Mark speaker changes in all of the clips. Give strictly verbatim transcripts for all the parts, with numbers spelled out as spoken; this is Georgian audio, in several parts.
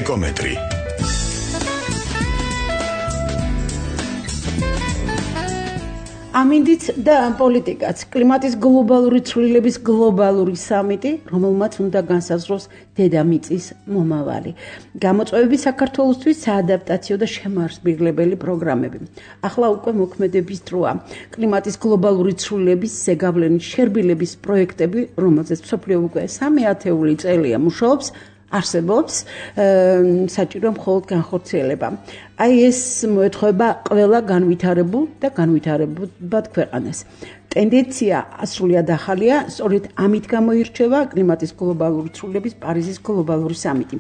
Speaker 1: ეკომეტრი.
Speaker 2: ამინდიც და პოლიტიკაც კლიმატის გლობალური ცვლილების გლობალური სამიტი, რომელმაც უნდა განსაზღვროს დედამიწის მომავალი. გამოწვევები საქართველოსთვის საადაპტაციო და შემაარსებლებელი პროგრამები. ახლა უკვე მოქმედების დროა. კლიმატის გლობალური ცვლილების ზეგავლენის შერბილების პროექტები, რომელზეც მსოფლიო უკვე სამი ათეული წელია მუშაობს, არსებობს, საჭირო მხოლოდ განხორციელება. აი ეს მოეთხოვება ყველა განვითარებულ და განვითარებად ქვეყანას. ტენდენცია ასრულიად ახალია, სწორედ ამით გამოირჩევა კლიმატის გლობალური ცვლილების პარიზის გლობალური სამიტი.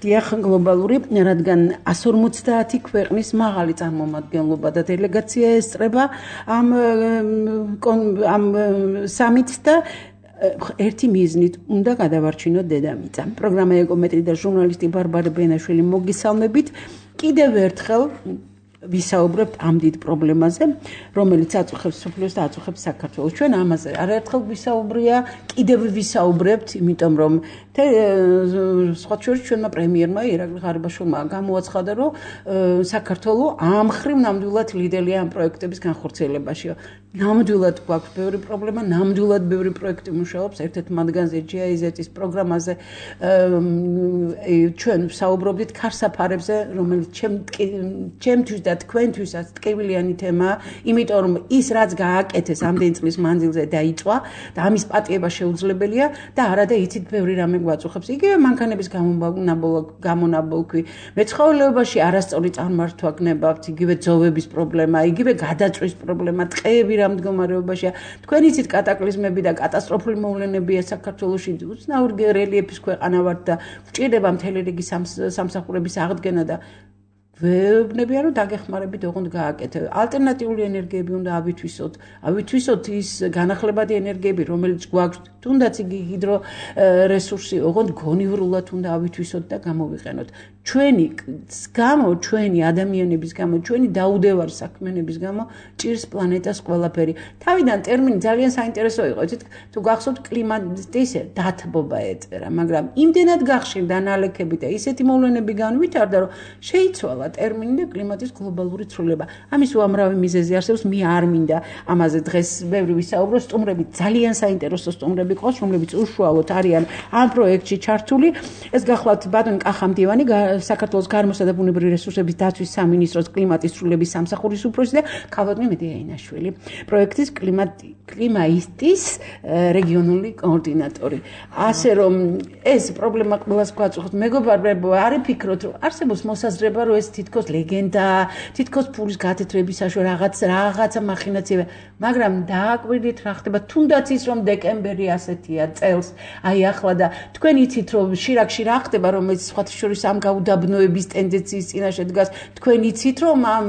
Speaker 2: დიახ, გლობალური, რადგან εκατს ორმოცდაათი ქვეყნის მაღალი წარმომადგენლობა და დელეგაცია ესწრება ამ ამ სამიტს და ერთი მიზნით უნდა გადავარჩინოთ დედამიწა. პროგრამა ეკომეტრი და ჟურნალისტი ბარბარე ბენაშვილი მოგისალმებით. კიდევ ერთხელ ვისაუბრებთ ამ დიდ პრობლემაზე, რომელიც აწუხებს მსოფლიოს და აწუხებს საქართველოს. ჩვენ ამაზე არაერთხელ ვისაუბრია, კიდევ ვისაუბრებთ, იმიტომ რომ სხვა შორის ჩვენმა პრემიერმა ირაკლი ღარიბაშვილმა გამოაცხადა, რომ საქართველო ამ მხრივ ნამდვილად ლიდერია ამ პროექტების განხორციელებაში. ნამდვილად გვაქვს ბევრი პრობლემა, ნამდვილად ბევრი პროექტი მუშაობს, ერთ-ერთ მათგანზე ჯი აი ზეტ-ის პროგრამაზე ჩვენ ვსაუბრობდით ქარსაფარებზე, რომელიც ჩემთვის და თქვენთვისაც ტკივილიანი თემაა, იმიტომ რომ ის რაც გააკეთეს ამდენი წლის მანძილზე დაიწვა და ამის პატიება შეუძლებელია და არადა იცით ბევრი რამე გვაწუხებს. იგივე მანქანების გამონაბოლქვი, მეცხოველეობაში არასწორი წარმართვა გნებავთ, იგივე ძოვების პრობლემა, იგივე გადაწვის პრობლემა, ტყეები რა მდგომარეობაშია. თქვენ იცით კატაკლიზმები და კატასტროფული მოვლენებია საქართველოში, უცნაური რელიეფის ქვეყანა ვართ და გვჭირდება მთელი რიგი სამსახურების აღდგენა და ვეუბნებია რომ დაგეხმარებით ოღონდ გააკეთე. ალტერნატიული ენერგიები უნდა ავითვისოთ. ავითვისოთ ის განახლებადი ენერგიები, რომელიც გვაქვს, თუნდაც იგი ჰიდრო რესურსი, ოღონდ გონივრულად უნდა ავითვისოთ და გამოვიყენოთ. ჩვენი გამო, ჩვენი ადამიანების გამო, ჩვენი დაუდევარ საქმიანობის გამო ჭირს პლანეტას ყველაფერი. თავიდან ტერმინი ძალიან საინტერესო იყო. იცით, თუ გახსოვთ კლიმატის დათბობა ეწერა, მაგრამ იმდენად გახშირდა ნალექები და ისეთი მოვლენები განვითარდა, რომ შეიცვალა ტერმინი და კლიმატის გლობალური ცვლილება. ამის უამრავი მიზეზი არსებობს, მე არ მინდა ამაზე დღეს ბევრი ვისაუბრო, სტუმრები ძალიან საინტერესო სტუმრები ყავს, რომლებიც უშუალოდ არიან ამ პროექტში ჩართული. ეს გახლავთ ბატონი კახამდივანი, საქართველოს გარემოსა და ბუნებრივი რესურსების დაცვის სამინისტროს კლიმატის ცვლილების სამსახურის უფროსი და ქალბატონი მედია ინაშვილი, პროექტის კლიმაისტის რეგიონული კოორდინატორი. ასე რომ ეს პრობლემა ყველას გვაწუხებს. მეგობრებო, არ იფიქროთ, რომ არსებობს მოსაზრება, რომ ეს თითქოს ლეგენდა, თითქოს ფულის გათეთრების საშუალო რაღაც რაღაცა მახინაციება, მაგრამ დააკვირდით რა ხდება, თუნდაც ის რომ დეკემბერი ასეთია წელს, აი ახლა და თქვენ იცით რომ შირაკში რა ხდება, რომელიც სხვათა შორის ამ გაუდაბნოების ტენდენციის წინაშე დგას, თქვენ იცით რომ ამ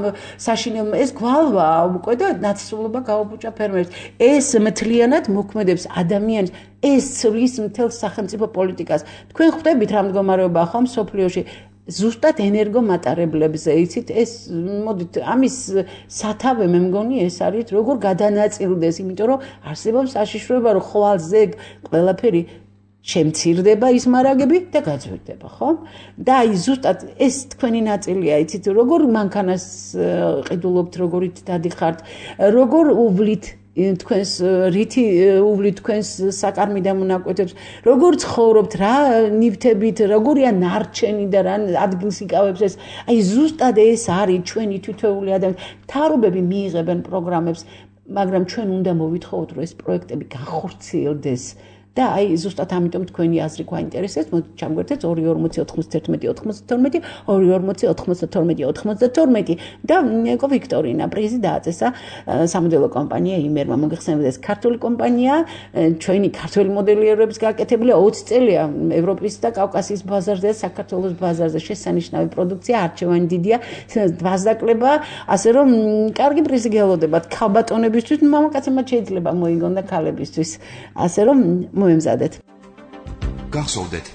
Speaker 2: საშინელმა ეს გვალვა უკვე და ნაცრისულობა გაუბუჭა ფერმერებს. ეს მთლიანად მოქმედებს ადამიანს, ეს ცვლის მთელს სახელმწიფო პოლიტიკას. თქვენ ხვდებით რა მდგომარეობაა ხომ სოფლიოში ზუსტად ენერგომატარებლებზე, იცით, ეს მოდით ამის სათავე მე მგონი ეს არის როგორ გადანაწილდეს, იმიტომ რომ არსებობს საშიშროება, რომ ხვალზე ყველაფერი შემცირდება ის მარაგები და გაძვირდება, ხო? და აი ზუსტად ეს თქვენი ნაწილია, იცით, როგორ მანქანას ყიდულობთ, როგორით დადიხართ, როგორ უვლით თქვენს რითი უვლით თქვენს საკარმი და მონაკვეთებს, როგორ ცხოვრობთ, რა ნივთებით, როგორია ნარჩენი და რა ადგილს იკავებს ეს. აი ზუსტად ეს არის ჩვენი თითოეული ადამიანი. მთავრობები მიიღებენ პროგრამებს, მაგრამ ჩვენ უნდა მოვითხოვოთ, რომ ეს პროექტები განხორციელდეს. და აი ზუსტად ამიტომ თქვენი აზრი გვაინტერესებს. მოდით ჩამგვერთეთ ორი ორმოცი ოთხმოცდაერთმეტი ოთხმოცდათორმეტი ორი ორმოცი ოთხმოცდათორმეტი ოთხმოცდათორმეტი და ეკო ვიქტორინა პრიზი დააწესა სამოდელო კომპანია იმერმა. მოგეხსენებათ, ეს ქართული კომპანია, ჩვენი ქართული მოდელიერების გაკეთებულია ოცი წელია ევროპის და კავკასიის ბაზარზე და საქართველოს ბაზარზე. შესანიშნავი პროდუქცია, არჩევანი დიდია, ვაზაკლება, ასე რომ კარგი პრიზი გელოდებათ ქალბატონებისთვის, მამაკაცებმა შეიძლება მოიგონ და ქალებისთვის. ასე რომ მოემზადეთ.
Speaker 3: გახსოვდეთ,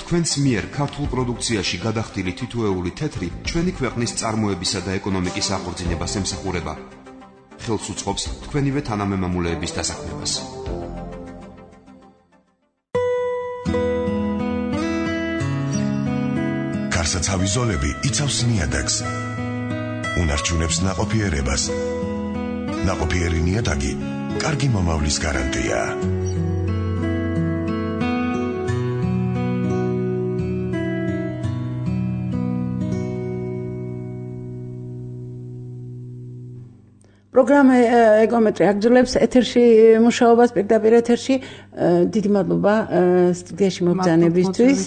Speaker 3: თქვენს მიერ ქართულ პროდუქციაში გადახდილი თითოეული თეთრი ჩვენი ქვეყნის წარმოებისა და ეკონომიკის აღორძინებას ემსახურება. ხელს უწყობს თქვენივე თანამემამულეების დასაქმებას.
Speaker 1: გარსაცავი ზოლები იცავს ნიადაგს. უნარჩუნებს ნაყოფიერებას. ნაყოფიერი ნიადაგი კარგი მომავლის გარანტია.
Speaker 2: პროგრამა ეკომეტრი აგრძელებს ეთერში მუშაობას პირდაპირ ეთერში დიდი მადლობა სტუდიაში მობრძანებისთვის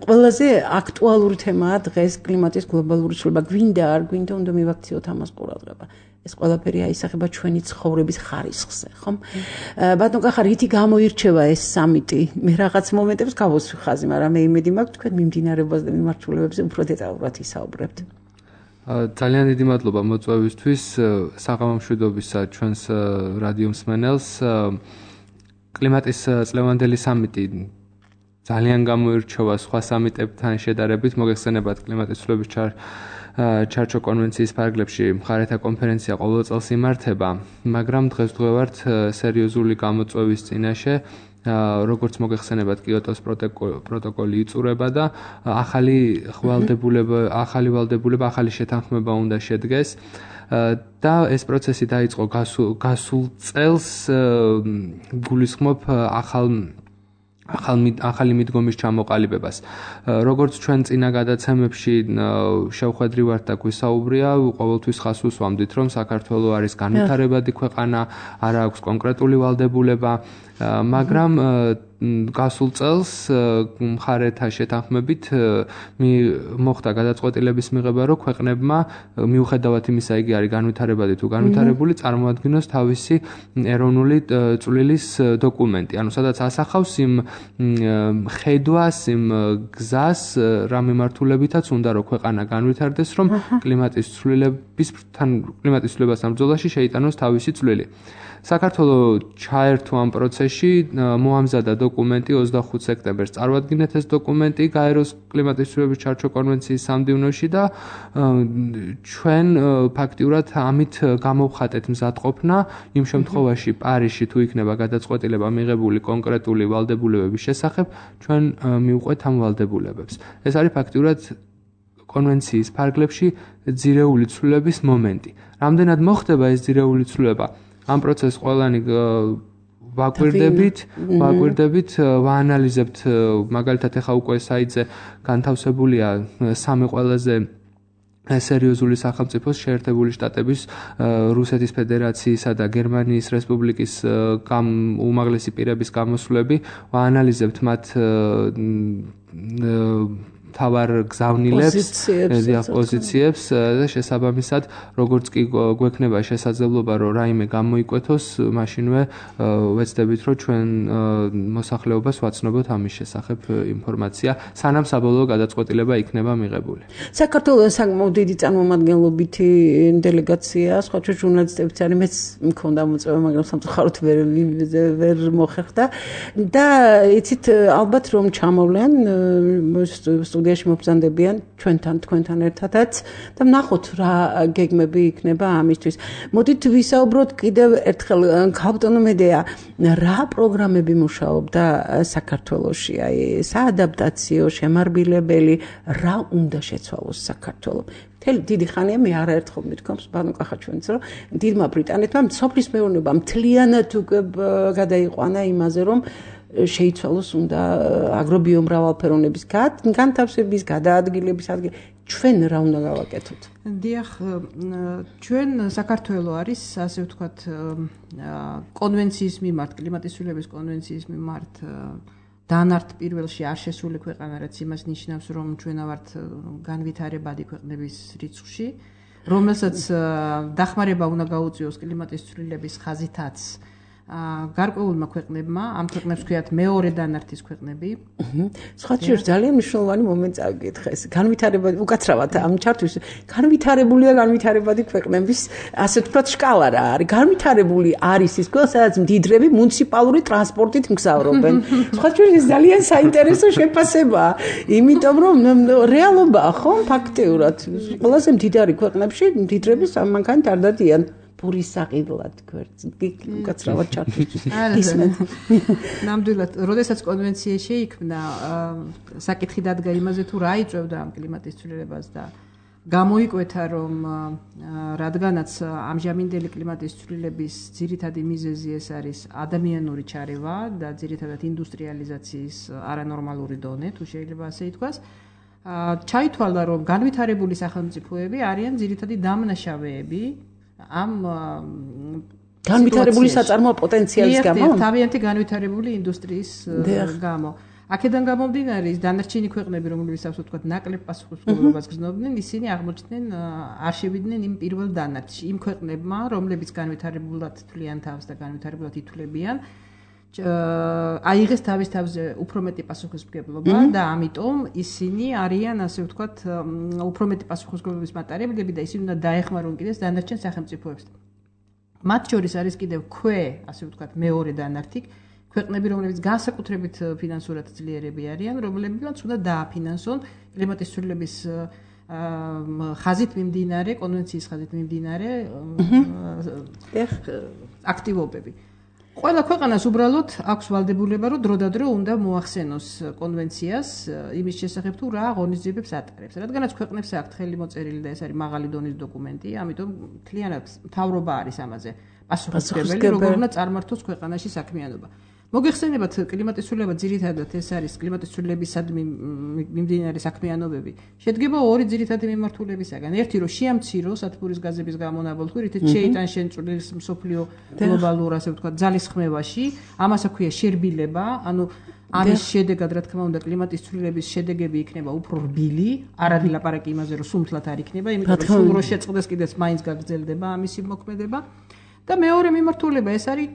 Speaker 2: ყველაზე აქტუალური თემაა დღეს კლიმატის გლობალური ცვლილება გვინდა არ გვინდა უნდა მივაქციოთ ამას ყურადღება ეს ყველაფერი აისახება ჩვენი ცხოვრების ხარისხზე ხომ ბატონ კახა რითი გამოირჩევა ეს სამიტი მე რაღაც მომენტებს გავოსვი ხაზი მაგრამ მე იმედი მაქვს თქვენ მიმდინარეობაზე და მიმართულებებზე უფრო დეტალურად ისაუბრებთ
Speaker 4: ძალიან დიდი მადლობა მოწვევისთვის საღამო მშვიდობისა ჩვენს რადიო მსმენელს კლიმატის წლევანდელი სამიტი ძალიან გამოირჩევა სხვა სამიტებთან შედარებით მოგეხსენებათ კლიმატის ცვლილების ჩარჩო კონვენციის ფარგლებში მხარეთა კონფერენცია ყოველ წელს იმართება მაგრამ დღესდღეობით სერიოზული გამოწვევის წინაშე როგორც მოგეხსენებათ კიოტოს პროტოკოლი იწურება და ახალი ვალდებულება ახალი ვალდებულება ახალი შეთანხმება უნდა შედგეს და ეს პროცესი დაიწყო გასულ წელს გულისხმობ ახალ ახალი მიდგომის ჩამოყალიბებას. როგორც ჩვენ წინა გადაცემებში შევხვედრივართ და გვისაუბრია, ყოველთვის ხაზს უსვამდით, რომ საქართველო არის განვითარებადი ქვეყანა, არ აქვს კონკრეტული ვალდებულება, მაგრამ გასულ წელს მხარეთა შეთანხმებით მოხდა გადაწყვეტილების მიღება, რომ ქვეყნებმა მიუხედავად იმისა, იგი არის განვითარებადი თუ განვითარებული, წარმოადგინოს თავისი ეროვნული წვლილის დოკუმენტი. ანუ სადაც ასახავს იმ ხედვას, იმ გზას, რა მიმართულებითაც უნდა რომ ქვეყანა განვითარდეს, რომ კლიმატის ცვლილებისთან კლიმატის ცვლილებასთან ბრძოლაში შეიტანოს თავისი წვლილი. საქართველო ჩაერთო ამ პროცესში, მოამზადა დოკუმენტი ოცდახუთი სექტემბერს წარვადგინეთ ეს დოკუმენტი გაეროს კლიმატის ცვლილების ჩარჩო კონვენციის სამდივნოში და ჩვენ ფაქტიურად ამით გამოვხატეთ მზადყოფნა იმ შემთხვევაში პარიზში თუ იქნება გადაწყვეტილება მიღებული კონკრეტული ვალდებულებების შესახებ, ჩვენ მივყვეთ ამ ვალდებულებებს. ეს არის ფაქტიურად კონვენციის ფარგლებში ძირეული ცვლილების მომენტი. რამდენად მოხდება ეს ძირეული ცვლილება? ამ პროცესს ყველანი ვაკვირდებით, ვაკვირდებით, ვაანალიზებთ, მაგალითად ახლა უკვე საიტზე განთავსებულია სამი ყველაზე სერიოზული სახელმწიფოს შეერთებული შტატების, რუსეთის ფედერაციისა და გერმანიის რესპუბლიკის უმაღლესი პირების გამოსვლები, ვაანალიზებთ მათ თავარ გზავნილებს, პოზიციებს და შესაბამისად, როგორც კი გვექნება შესაძლებლობა, რომ რაიმე გამოიკვეთოს, მაშინვე ვეცდებით, რომ ჩვენ მოსახლეობას ვაცნობოთ ამის შესახებ ინფორმაცია, სანამ საბოლოო გადაწყვეტილება იქნება მიღებული.
Speaker 2: საქართველოს საკმაოდ დიდი წარმომადგენლობითი დელეგაცია, სხვა ჟურნალისტებიც არის, მეც მქონდა მოწვევა, მაგრამ სამწუხაროდ ვერ ვერ მოხერხდა და იცით ალბათ რომ ჩამოვლენ სტუდიაში მობრძანდებიან ჩვენთან თქვენთან ერთადაც და ვნახოთ რა გეგმები იქნება ამისთვის. მოდით ვისაუბროთ კიდევ ერთხელ ქალბატონო მედეა რა პროგრამები მუშაობდა საქართველოში, აი საადაპტაციო, შემარბილებელი, რა უნდა შეცვალოს საქართველოს. მთელი დიდი ხანია მე არაერთხელ მithქვამს ბანო კახა ჩვენც რომ დიდმა ბრიტანეთმა სოფლის მეურნეობა მთლიანად უკვე გადაიყვანა იმაზე რომ შეიცვალოს უნდა აგრობიომრავალფეროვნების განთავსების, გადაადგილების ადგილი. ჩვენ რა უნდა გავაკეთოთ?
Speaker 5: დიახ, ჩვენ საქართველო არის, ასე ვთქვათ, კონვენციის მიმართ, კლიმატის ცვლილების კონვენციის მიმართ დანართ პირველში არ შესული ქვეყანა, რაც იმას ნიშნავს, რომ ჩვენ ვართ განვითარებადი ქვეყნების რიცხვში, რომელსაც დახმარება უნდა გაუწიოს კლიმატის ცვლილების ხაზითაც გარკვეულმა ქვეყნებმა, ამ ქვეყნებს ქვიათ მეორე დანართის ქვეყნები.
Speaker 2: სხვა შეიძლება ძალიან მნიშვნელოვანი მომენტი წავიკითხე ეს. განვითარებადი, უკაცრავად ამ ჩარტვის განვითარებულია განვითარებადი ქვეყნების, ასე ვთქვათ, შკალა რა არის. განვითარებული არის ის ქვეყნა, სადაც მდიდრები მუნიციპალური ტრანსპორტით მგზავრობენ. სხვა შეიძლება ძალიან საინტერესო შეფასებაა, იმიტომ რომ რეალობაა, ხო, ფაქტიურად. ყველაზე მდიდარი ქვეყნებში მდიდრები სამანქანით არ დადიან. პურის საყიდლად გვერდზე უკაცრავად ჩართვისთვის ისმენ.
Speaker 5: ნამდვილად, როდესაც კონვენცია შეიქმნა, საკითხი დადგა იმაზე თუ რა იწვევდა ამ კლიმატის ცვლილებას და გამოიკვეთა რომ რადგანაც ამჟამინდელი კლიმატის ცვლილების ძირითადი მიზეზი ეს არის ადამიანური ჩარევა და ძირითადად ინდუსტრიალიზაციის არანორმალური დონე, თუ შეიძლება ასე ითქვას, ჩაითვალა რომ განვითარებული სახელმწიფოები არიან ძირითადი დამნაშავეები ამ
Speaker 2: განვითარებული საწარმოო პოტენციალის გამო,
Speaker 5: თავიანთი განვითარებული ინდუსტრიის გამო. აქედან გამომდინარე ის დანარჩენი ქვეყნები, რომლებიც ასე ვთქვათ, ნაკლებ პასუხისმგებლობას გრძნობდნენ, ისინი აღმოჩნდნენ არ შევიდნენ იმ პირველ დანარჩში, იმ ქვეყნებმა, რომლებიც განვითარებულად თვლიან თავს და განვითარებულად ითვლებიან, აიღეს თავის თავზე უფრო მეტი პასუხისმგებლობა და ამიტომ ისინი არიან ასე ვთქვათ, უფრო მეტი პასუხისმგებლობის მატარებლები და ისინი უნდა დაეხმარონ კიდეს დანარჩენ სახელმწიფოებს. მათ შორის არის კიდევ ქვე, ასე ვთქვათ, მეორე დანართი ქვეყნები, რომლებიც განსაკუთრებით ფინანსურად ძლიერები არიან, რომლებიც უნდა დააფინანსონ კლიმატის ცვლილების ხაზით მიმდინარე, კონვენციის ხაზით მიმდინარე აქტივობები. ყველა ქვეყანას უბრალოდ აქვს ვალდებულება, რომ დროდადრო უნდა მოახსენოს კონვენციას იმის შესახებ, თუ რა ღონისძიებებს ატარებს. რადგანაც ქვეყნებს აქვთ ხელი მოწერილი და ეს არის მაღალი დონის დოკუმენტი, ამიტომ მთლიანად მთავრობა არის ამაზე პასუხისმგებელი, როგორ უნდა წარმართოს ქვეყანაში საქმიანობა. მოგეხსენებათ კლიმატის ცვლილება ძირითადად ეს არის კლიმატის ცვლილებისადმი მიმდინარე საქმიანობები. შედგება ორი ძირითადი მიმართულებისაგან. ერთი რომ შეამციროს ათბურის გაზების გამონაბოლქვი, რითიც შეიტან შეწყვეტილს მსოფლიო გლობალურ ასე ვთქვათ ძალისხმევაში, ამას აქვია შერბილება, ანუ ამის შედეგად რა თქმა უნდა კლიმატის ცვლილების შედეგები იქნება უფრო რბილი, არ არის ლაპარაკი იმაზე რომ სუმთლად არ იქნება, იმიტომ რომ სულ რო შეწყდეს კიდეც მაინც გაგრძელდება ამისი მოქმედება. და მეორე მიმართულება ეს არის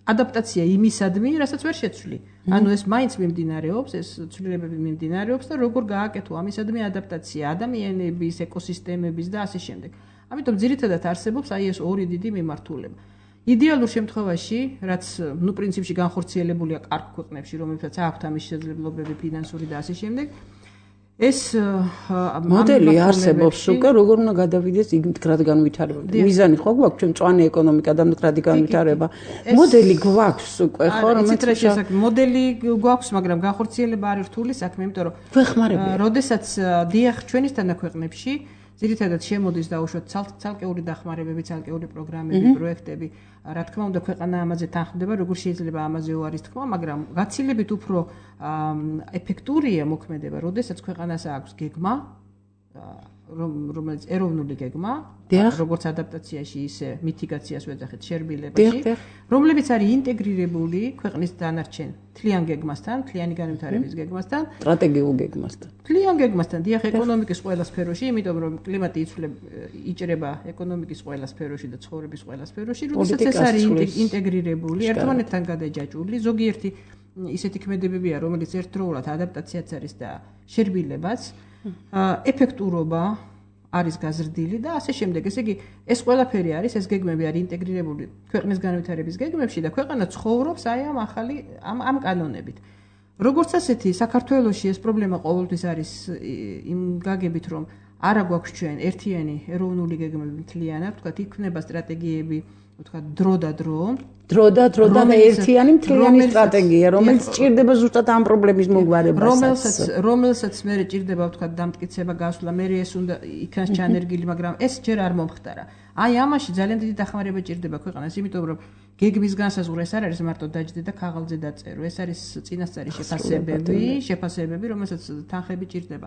Speaker 5: ადაპტაცია იმისადმი, რასაც ვერ შეცვლი. ანუ ეს მაინც მიმდინარეობს, ეს ცვლილებები მიმდინარეობს და როგორ გააკეთო ამისადმი ადაპტაცია ადამიანების, ეკოსისტემების და ასე შემდეგ. ამიტომ ძირითადად არსებობს აი ეს ორი დიდი მიმართულება. იდეალურ შემთხვევაში, რაც ნუ პრინციპში განხორციელებულია კარგ ქვეყნებში, რომლებსაც აქვთ ამის შესაძლებლობები ფინანსური და ასე შემდეგ, ეს
Speaker 2: მოდელი არსებობს უკვე, როგორ უნდა გადავიდეს იქ მდგრად განვითარება. მიზანი ხო გვაქვს ჩვენ მწვანე ეკონომიკა და მდგრადი განვითარება. მოდელი გვაქვს უკვე, ხო,
Speaker 5: რომელიც მოდელი გვაქვს, მაგრამ განხორციელება არის რთული საქმე, იმიტომ რომ
Speaker 2: ვეხმარებია.
Speaker 5: როდესაც დიახ ჩვენისთანა ქვეყნებში ძირითადად შემოდის დაუშვათ ცალკეული დახმარებები, ცალკეული პროგრამები, პროექტები. რა თქმა უნდა, ქვეყანა ამაზე თანხმდება, როგორ შეიძლება ამაზე უარის თქმა, მაგრამ გაცილებით უფრო ეფექტურია მოქმედება, როდესაც ქვეყანას აქვს გეგმა, რომელიც ეროვნული გეგმა, როგორც ადაპტაციაში, ისე მიტიგაციას ვეძახით შერბილებაში, რომლებიც არის ინტეგრირებული ქვეყნის დანარჩენ თლიან გეგმასთან, თლიანი განვითარების გეგმასთან,
Speaker 2: სტრატეგიულ გეგმასთან.
Speaker 5: თლიან გეგმასთან, დიახ, ეკონომიკის ყველა სფეროში, იმიტომ რომ კლიმატი იჭრება ეკონომიკის ყველა სფეროში და ცხოვრების ყველა სფეროში, როდესაც ეს არის ინტეგრირებული, ერთმანეთთან გადაჯაჭვული, ზოგიერთი ისეთი ქმედებებია, რომელიც ერთდროულად ადაპტაციაც არის და შერბილებაც, ეფექტურობა არის გაზრდილი და ასე შემდეგ. ესე იგი, ეს ყველაფერი არის, ეს გეგმები არის ინტეგრირებული ქვეყნის განვითარების გეგმებში და ქვეყანა ცხოვრობს აი ამ ახალი ამ ამ კანონებით. როგორც ასეთი, საქართველოში ეს პრობლემა ყოველთვის არის იმ გაგებით, რომ არა გვაქვს ჩვენ ერთიანი ეროვნული გეგმები მთლიანად, ვთქვათ, იქნება სტრატეგიები, ვთქვათ, დრო და დრო,
Speaker 2: დრო და დრო და ერთიანი მთლიანი სტრატეგია, რომელიც ჭირდება ზუსტად ამ პრობლემის მოგვარებას.
Speaker 5: რომელსაც რომელსაც მე ჭირდება, ვთქვათ, დამტკიცება გასვლა, მე ეს უნდა იქნას ჩანერგილი, მაგრამ ეს ჯერ არ მომხდარა. აი ამაში ძალიან დიდი დახმარება ჭირდება ქვეყანას, იმიტომ რომ გეგმის განსაზღვრა ეს არ არის მარტო დაჯდე და ქაღალდზე დაწერო, ეს არის წინასწარი შეფასებები, შეფასებები, რომელსაც თანხები ჭირდება.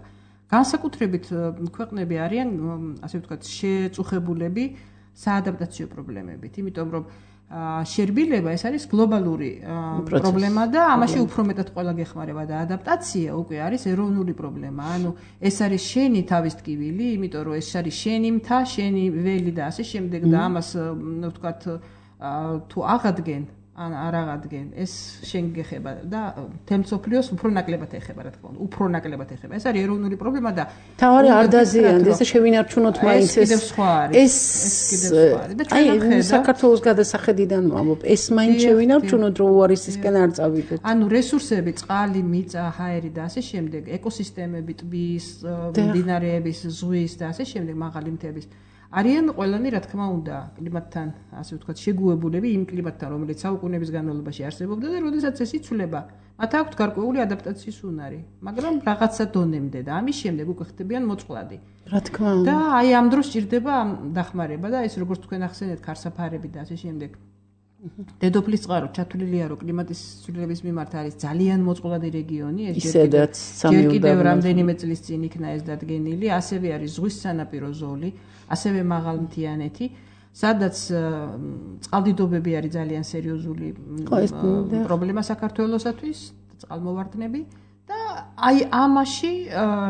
Speaker 5: განსაკუთრებით ქვეყნები არიან, ასე ვთქვათ, შეწუხებულები საადაპტაციო პრობლემებით, იმიტომ რომ შერბილება ეს არის გლობალური პრობლემა და ამაში უფრო მეტად ყველა გეხმარება და ადაპტაცია უკვე არის ეროვნული პრობლემა. ანუ ეს არის შენი თავის ტკივილი, იმიტომ რომ ეს არის შენი მთა, შენი ველი და ასე შემდეგ და ამას ვთქვათ თუ აღადგენ ან არ აღადგენ, ეს შენ გეხება და თემსოფლიოს უფრო ნაკლებად ეხება, რა თქმა უნდა, უფრო ნაკლებად ეხება. ეს არის ეროვნული პრობლემა და
Speaker 2: თავარი არ დაზიანდეს და შევინარჩუნოთ მაინც ეს
Speaker 5: კიდევ სხვა არის.
Speaker 2: ეს კიდევ სხვა არის და ჩვენ საქართველოს გადასახედიდან ვამბობ, ეს მაინც შევინარჩუნოთ, რომ უარისისკენ არ წავიდეთ.
Speaker 5: ანუ რესურსები, წყალი, მიწა, ჰაერი და ასე შემდეგ, ეკოსისტემები, ტბის, მდინარეების, ზღვის და ასე შემდეგ, მაღალი მთების არიან ყველანი რა თქმა უნდა კლიმატთან ასე ვთქვათ შეგუებულები იმ კლიმატთან რომელიც საუკუნეების განმავლობაში არსებობდა და როდესაც ეს იცვლება მათ აქვთ გარკვეული ადაპტაციის უნარი მაგრამ რაღაცა დონემდე და ამის შემდეგ უკვე ხდებიან მოწყვლადი
Speaker 2: რა თქმა უნდა
Speaker 5: და აი ამ დროს ჭირდება დახმარება და ეს როგორც თქვენ ახსენეთ ქარსაფარები და ასე შემდეგ დედოფლის წყარო ჩათვლილია რომ კლიმატის ცვლილების მიმართ არის ძალიან მოწყვლადი რეგიონი ეს ჯერ კიდევ რამდენიმე წლის წინ იქნა ეს დადგენილი ასევე არის ზღვის სანაპირო ზოლი ასევე მაღალმთიანეთი სადაც წყალდიდობები არის ძალიან სერიოზული პრობლემა საქართველოსათვის წყალმოვარდნები და აი ამაში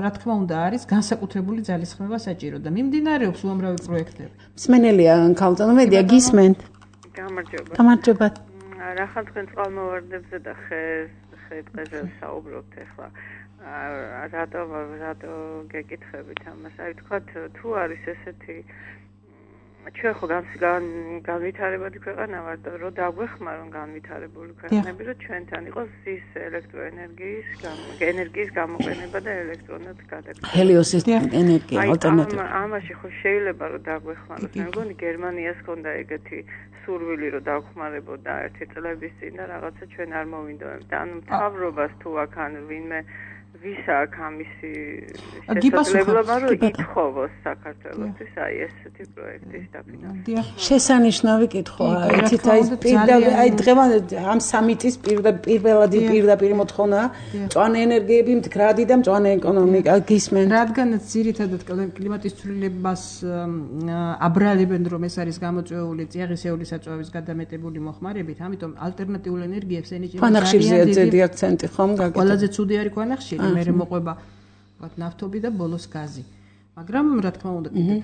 Speaker 5: რა თქმა უნდა არის განსაკუთრებული ძალისხმევა საჭირო და მიმდინარეობს უამრავი პროექტები
Speaker 2: მსმენელია ქალწონმედია გისმენთ
Speaker 6: გამარჯობა.
Speaker 2: გამარჯობა.
Speaker 6: რახან თქვენ წყალმოვარდნებზე და ხეს, ხე-ტყეზე საუბრობთ ახლა. რატო რატო გეკითხებით ამას? აი თქვათ თუ არის ესეთი ჩვენ ხო განვითარებადი ქვეყანა ვართ და რომ დაგვეხმარონ განვითარებული ქვეყნები რომ ჩვენთან იყოს ის ელექტროენერგიის ენერგიის გამოყენება და ელექტრონად გადაგება.
Speaker 2: ჰელიოსის ენერგია ალტერნატივა.
Speaker 6: ამაში ხო შეიძლება რომ დაგვეხმაროთ. მე მგონი გერმანიას ჰქონდა ეგეთი სურვილი რომ დაგხმარებოდა ერთი წლების წინ და რაღაცა ჩვენ არ მოვინდოებთ. ანუ მთავრობას თუ აქ ან ვინმე ვისა აქ ამისი შესაძლებლობა რომ ითხოვოს საქართველოსთვის აი ესეთი პროექტის დაფინანსება.
Speaker 2: შესანიშნავი კითხვაა. ეთით აი პირდაპირ აი დღევანდელ ამ სამიტის პირველადი პირდაპირ მოთხოვნა მწვანე ენერგიები მდგრადი და მწვანე ეკონომიკა გისმენ.
Speaker 5: რადგანაც ძირითადად კლიმატის ცვლილებას აბრალებენ რომ ეს არის გამოწვეული წიაღისეული საწვავის გადამეტებული მოხმარებით, ამიტომ ალტერნატიულ ენერგიებს ენიჭება
Speaker 2: ქვანახშირზეა ძედი აქცენტი ხომ გაკეთდა.
Speaker 5: ყველაზე ცუდი არის ქვანახშირი. მე მოყვება ვთქვათ ნავთობი და ბოლოს გაზი. მაგრამ რა თქმა უნდა კიდევ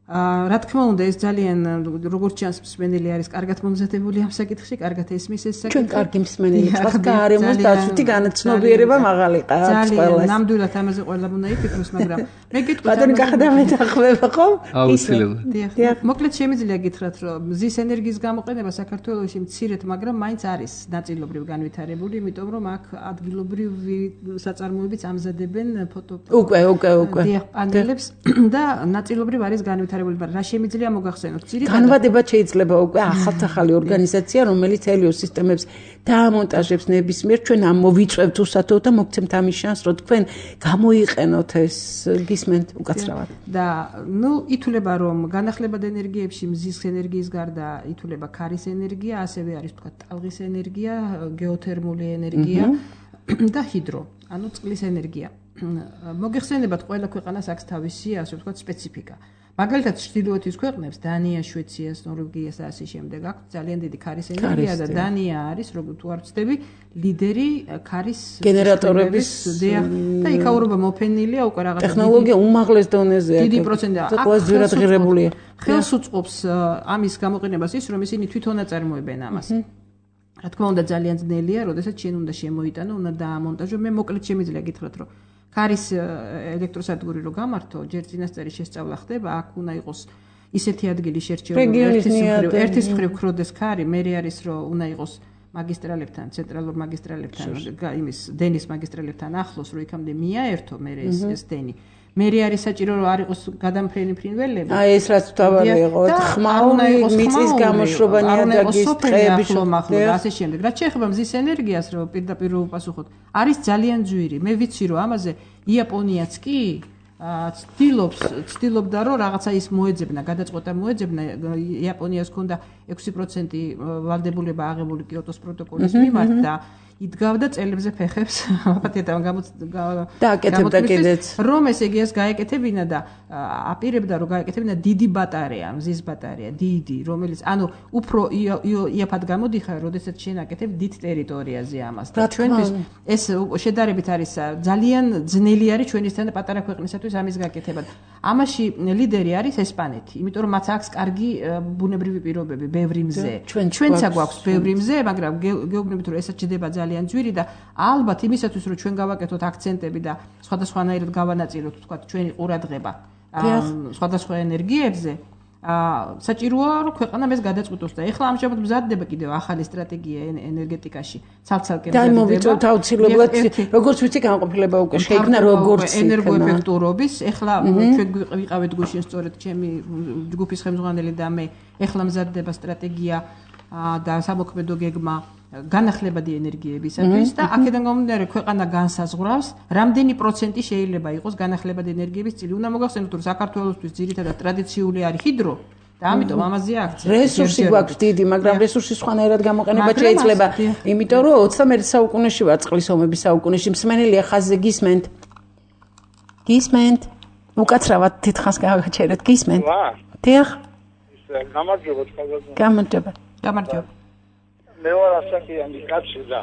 Speaker 5: აა რა თქმა უნდა ეს ძალიან როგორც ჩანს მსმენელი არის კარგად მომზადებული ამ საკითხში, კარგად ესმის ეს საკითხი.
Speaker 2: ჩვენ კარგი მსმენელი ვართ, გარემოს დაცვითი განცნობიერება მაღალი ყავს ყველას.
Speaker 5: ძალიან ნამდვილად ამაზე ყველა უნდა იფიქროს, მაგრამ მე გიტყვით
Speaker 2: ბატონი გახდა მეტახმება ხო?
Speaker 4: აუცილებლად.
Speaker 5: დიახ. მოკლედ შემიძლია გითხრათ, რომ მზის ენერგიის გამოყენება საქართველოში მცირედ, მაგრამ მაინც არის ნაწილობრივ განვითარებული, იმიტომ რომ აქ ადგილობრივი საწარმოებიც ამზადებენ ფოტო
Speaker 2: უკვე, უკვე, უკვე.
Speaker 5: დიახ, პანელებს და ნაწილობრივ არის განვითარებული. რა შემიძლია მოგახსენოთ?
Speaker 2: განვადებად შეიძლება უკვე ახალ-ახალი ორგანიზაცია, რომელიც ჰელიოს სისტემებს დაამონტაჟებს ნებისმიერ ჩვენ ამ მოვიწევთ უსათო და მოგცემთ ამის შანსს, რომ თქვენ გამოიყენოთ ეს გისმენთ უკაცრავად.
Speaker 5: და ნუ ითვლება რომ განახლებად ენერგიებში მზის ენერგიის გარდა ითვლება ქარის ენერგია, ასევე არის თქვა ტალღის ენერგია, გეოთერმული ენერგია და ჰიდრო, ანუ წყლის ენერგია. მოგეხსენებათ ყველა ქვეყანას აქვს თავისი ასე ვთქვათ სპეციფიკა. მაგალითად ჩრდილოეთის ქვეყნებს დანია, შვეციას, ნორვეგიას და ასე შემდეგ აქვს ძალიან დიდი ქარის ენერგია და დანია არის როგორც თუ არ ვცდები ლიდერი ქარის
Speaker 2: გენერატორების
Speaker 5: და იქაურობა მოფენილია უკვე რაღაც
Speaker 2: ტექნოლოგია უმაღლეს დონეზეა.
Speaker 5: დიდი პროცენტია.
Speaker 2: ყველა ძვირად ღირებულია.
Speaker 5: ხელს უწყობს ამის გამოყენებას ის რომ ისინი თვითონ აწარმოებენ ამას. რა თქმა უნდა ძალიან ძნელია, როდესაც შენ უნდა შემოიტანო, უნდა დაამონტაჟო. მე მოკლედ შემიძლია გითხრათ რომ ქარის ელექტროსადგური რო გამართო, ჯერ წინასწარი შესწავლა ხდება, აქ უნდა იყოს ისეთი ადგილი შერჩეული, ერთის მხრივ ქროდეს ქარი, მერე არის რომ უნდა იყოს მაგისტრალებთან, ცენტრალურ მაგისტრალებთან, იმის დენის მაგისტრალებთან ახლოს, რომ იქამდე მიაერთო მერე ეს ეს დენი. მერე არის საჭირო რომ არ იყოს გადამფრენი ფრინველები.
Speaker 2: აი ეს რაც თავარი იყო, ხმაური, მიწის გამოშრობა, ნიადაგის ტყეების
Speaker 5: შრომა და ასე შემდეგ. რაც შეეხება მზის ენერგიას, რომ პირდაპირ უპასუხოთ, არის ძალიან ძვირი. მე ვიცი რომ ამაზე იაპონიაც კი ცდილობს, ცდილობდა რომ რაღაცა ის მოეძებნა, გადაწყვეტა მოეძებნა. იაპონიას ჰქონდა ექვსი პროცენტი ვალდებულება აღებული კიოტოს პროტოკოლის მიმართ და იდგავდა წელებზე ფეხებს, აპატიეთან
Speaker 2: გააკეთებდა კიდეც.
Speaker 5: რომ ეს ეგიას გაეკეთებინა და აპირებდა რომ გაეკეთებინა დიდი ბატარეა, მზის ბატარეა, დიდი, რომელიც ანუ უფრო იაფად გამოდიხარ, როდესაც შენ აკეთებ დიდ ტერიტორიაზე ამას. და ჩვენთვის ეს შედარებით არის ძალიან ძნელი არის ჩვენისთან და პატარა ქვეყნისათვის ამის გაკეთება. ამაში ლიდერი არის ესპანეთი, იმიტომ რომ მათ აქვს კარგი ბუნებრივი პირობები, ბევრი მზე. ჩვენცა გვაქვს ბევრი მზე, მაგრამ გეუბნებით რომ ესაც ჩდება ძალიან ძვირი და ალბათ იმისათვის რომ ჩვენ გავაკეთოთ აქცენტები და სხვადასხვანაირად გავანაწილოთ თქვა ჩვენი ყურადღება სხვადასხვა ენერგიებზე აა საჭიროა რომ ქვეყანამ ეს გადაწყვიტოს და ეხლა ამჟამად მზადდება კიდევ ახალი სტრატეგია ენერგეტიკაში ცალ-ცალკე
Speaker 2: მზადდება. და მოვიწევთ აუცილებლად როგორც ვიცი განყოფილება უკვე შეიქმნა როგორც
Speaker 5: ენერგოეფექტურობის ეხლა ჩვენ ვიყავით გუშინ სწორედ ჩემი ჯგუფის ხელმძღვანელი და მე ეხლა მზადდება სტრატეგია და სამოქმედო გეგმა განახლებადი ენერგიებისათვის და აქედან გამომდინარე ქვეყანა განსაზღვრავს რამდენი პროცენტი შეიძლება იყოს განახლებადი ენერგიების წილი. უნდა მოგახსენოთ რომ საქართველოსთვის ძირითადად ტრადიციული არის ჰიდრო და ამიტომ ამაზეა აქცია.
Speaker 2: რესურსი გვაქვს დიდი, მაგრამ რესურსი სხვანაირად გამოყენება შეიძლება, იმიტომ რომ ოცდამეერთე საუკუნეში ვარ, წყლის ომების საუკუნეში, მსმენელია ხაზზე გისმენთ. გისმენთ. უკაცრავად თითქოს გავაჩერეთ, გისმენთ. დიახ.
Speaker 7: გამარჯობა თქვენ.
Speaker 2: გამარჯობა.
Speaker 5: გამარჯობა.
Speaker 7: მე ვარ ასაკიანი კაცი და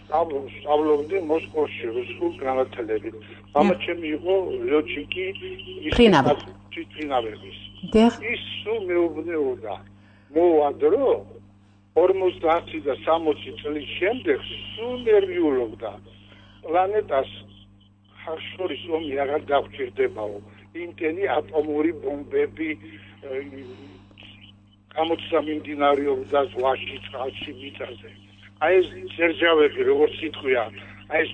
Speaker 7: სწავლობდი მოსკოვში რუსულ განათლებით. მამა ჩემი იყო ლეოჩიკი
Speaker 2: ფრინავების.
Speaker 7: ის სულ მეუბნეოდა მოვადრო ორმოცდაათი და სამოცი წლის შემდეგ სულ ნერვიულობდა პლანეტას ხარშორის ომი აღარ დაგვჭირდებაო იმტენი ატომური ბომბები გამოცა მიმდინარეობდა ზღვაში წყალში მიწაზე აი ეს ძერჟავები როგორც სიტყვია აი ეს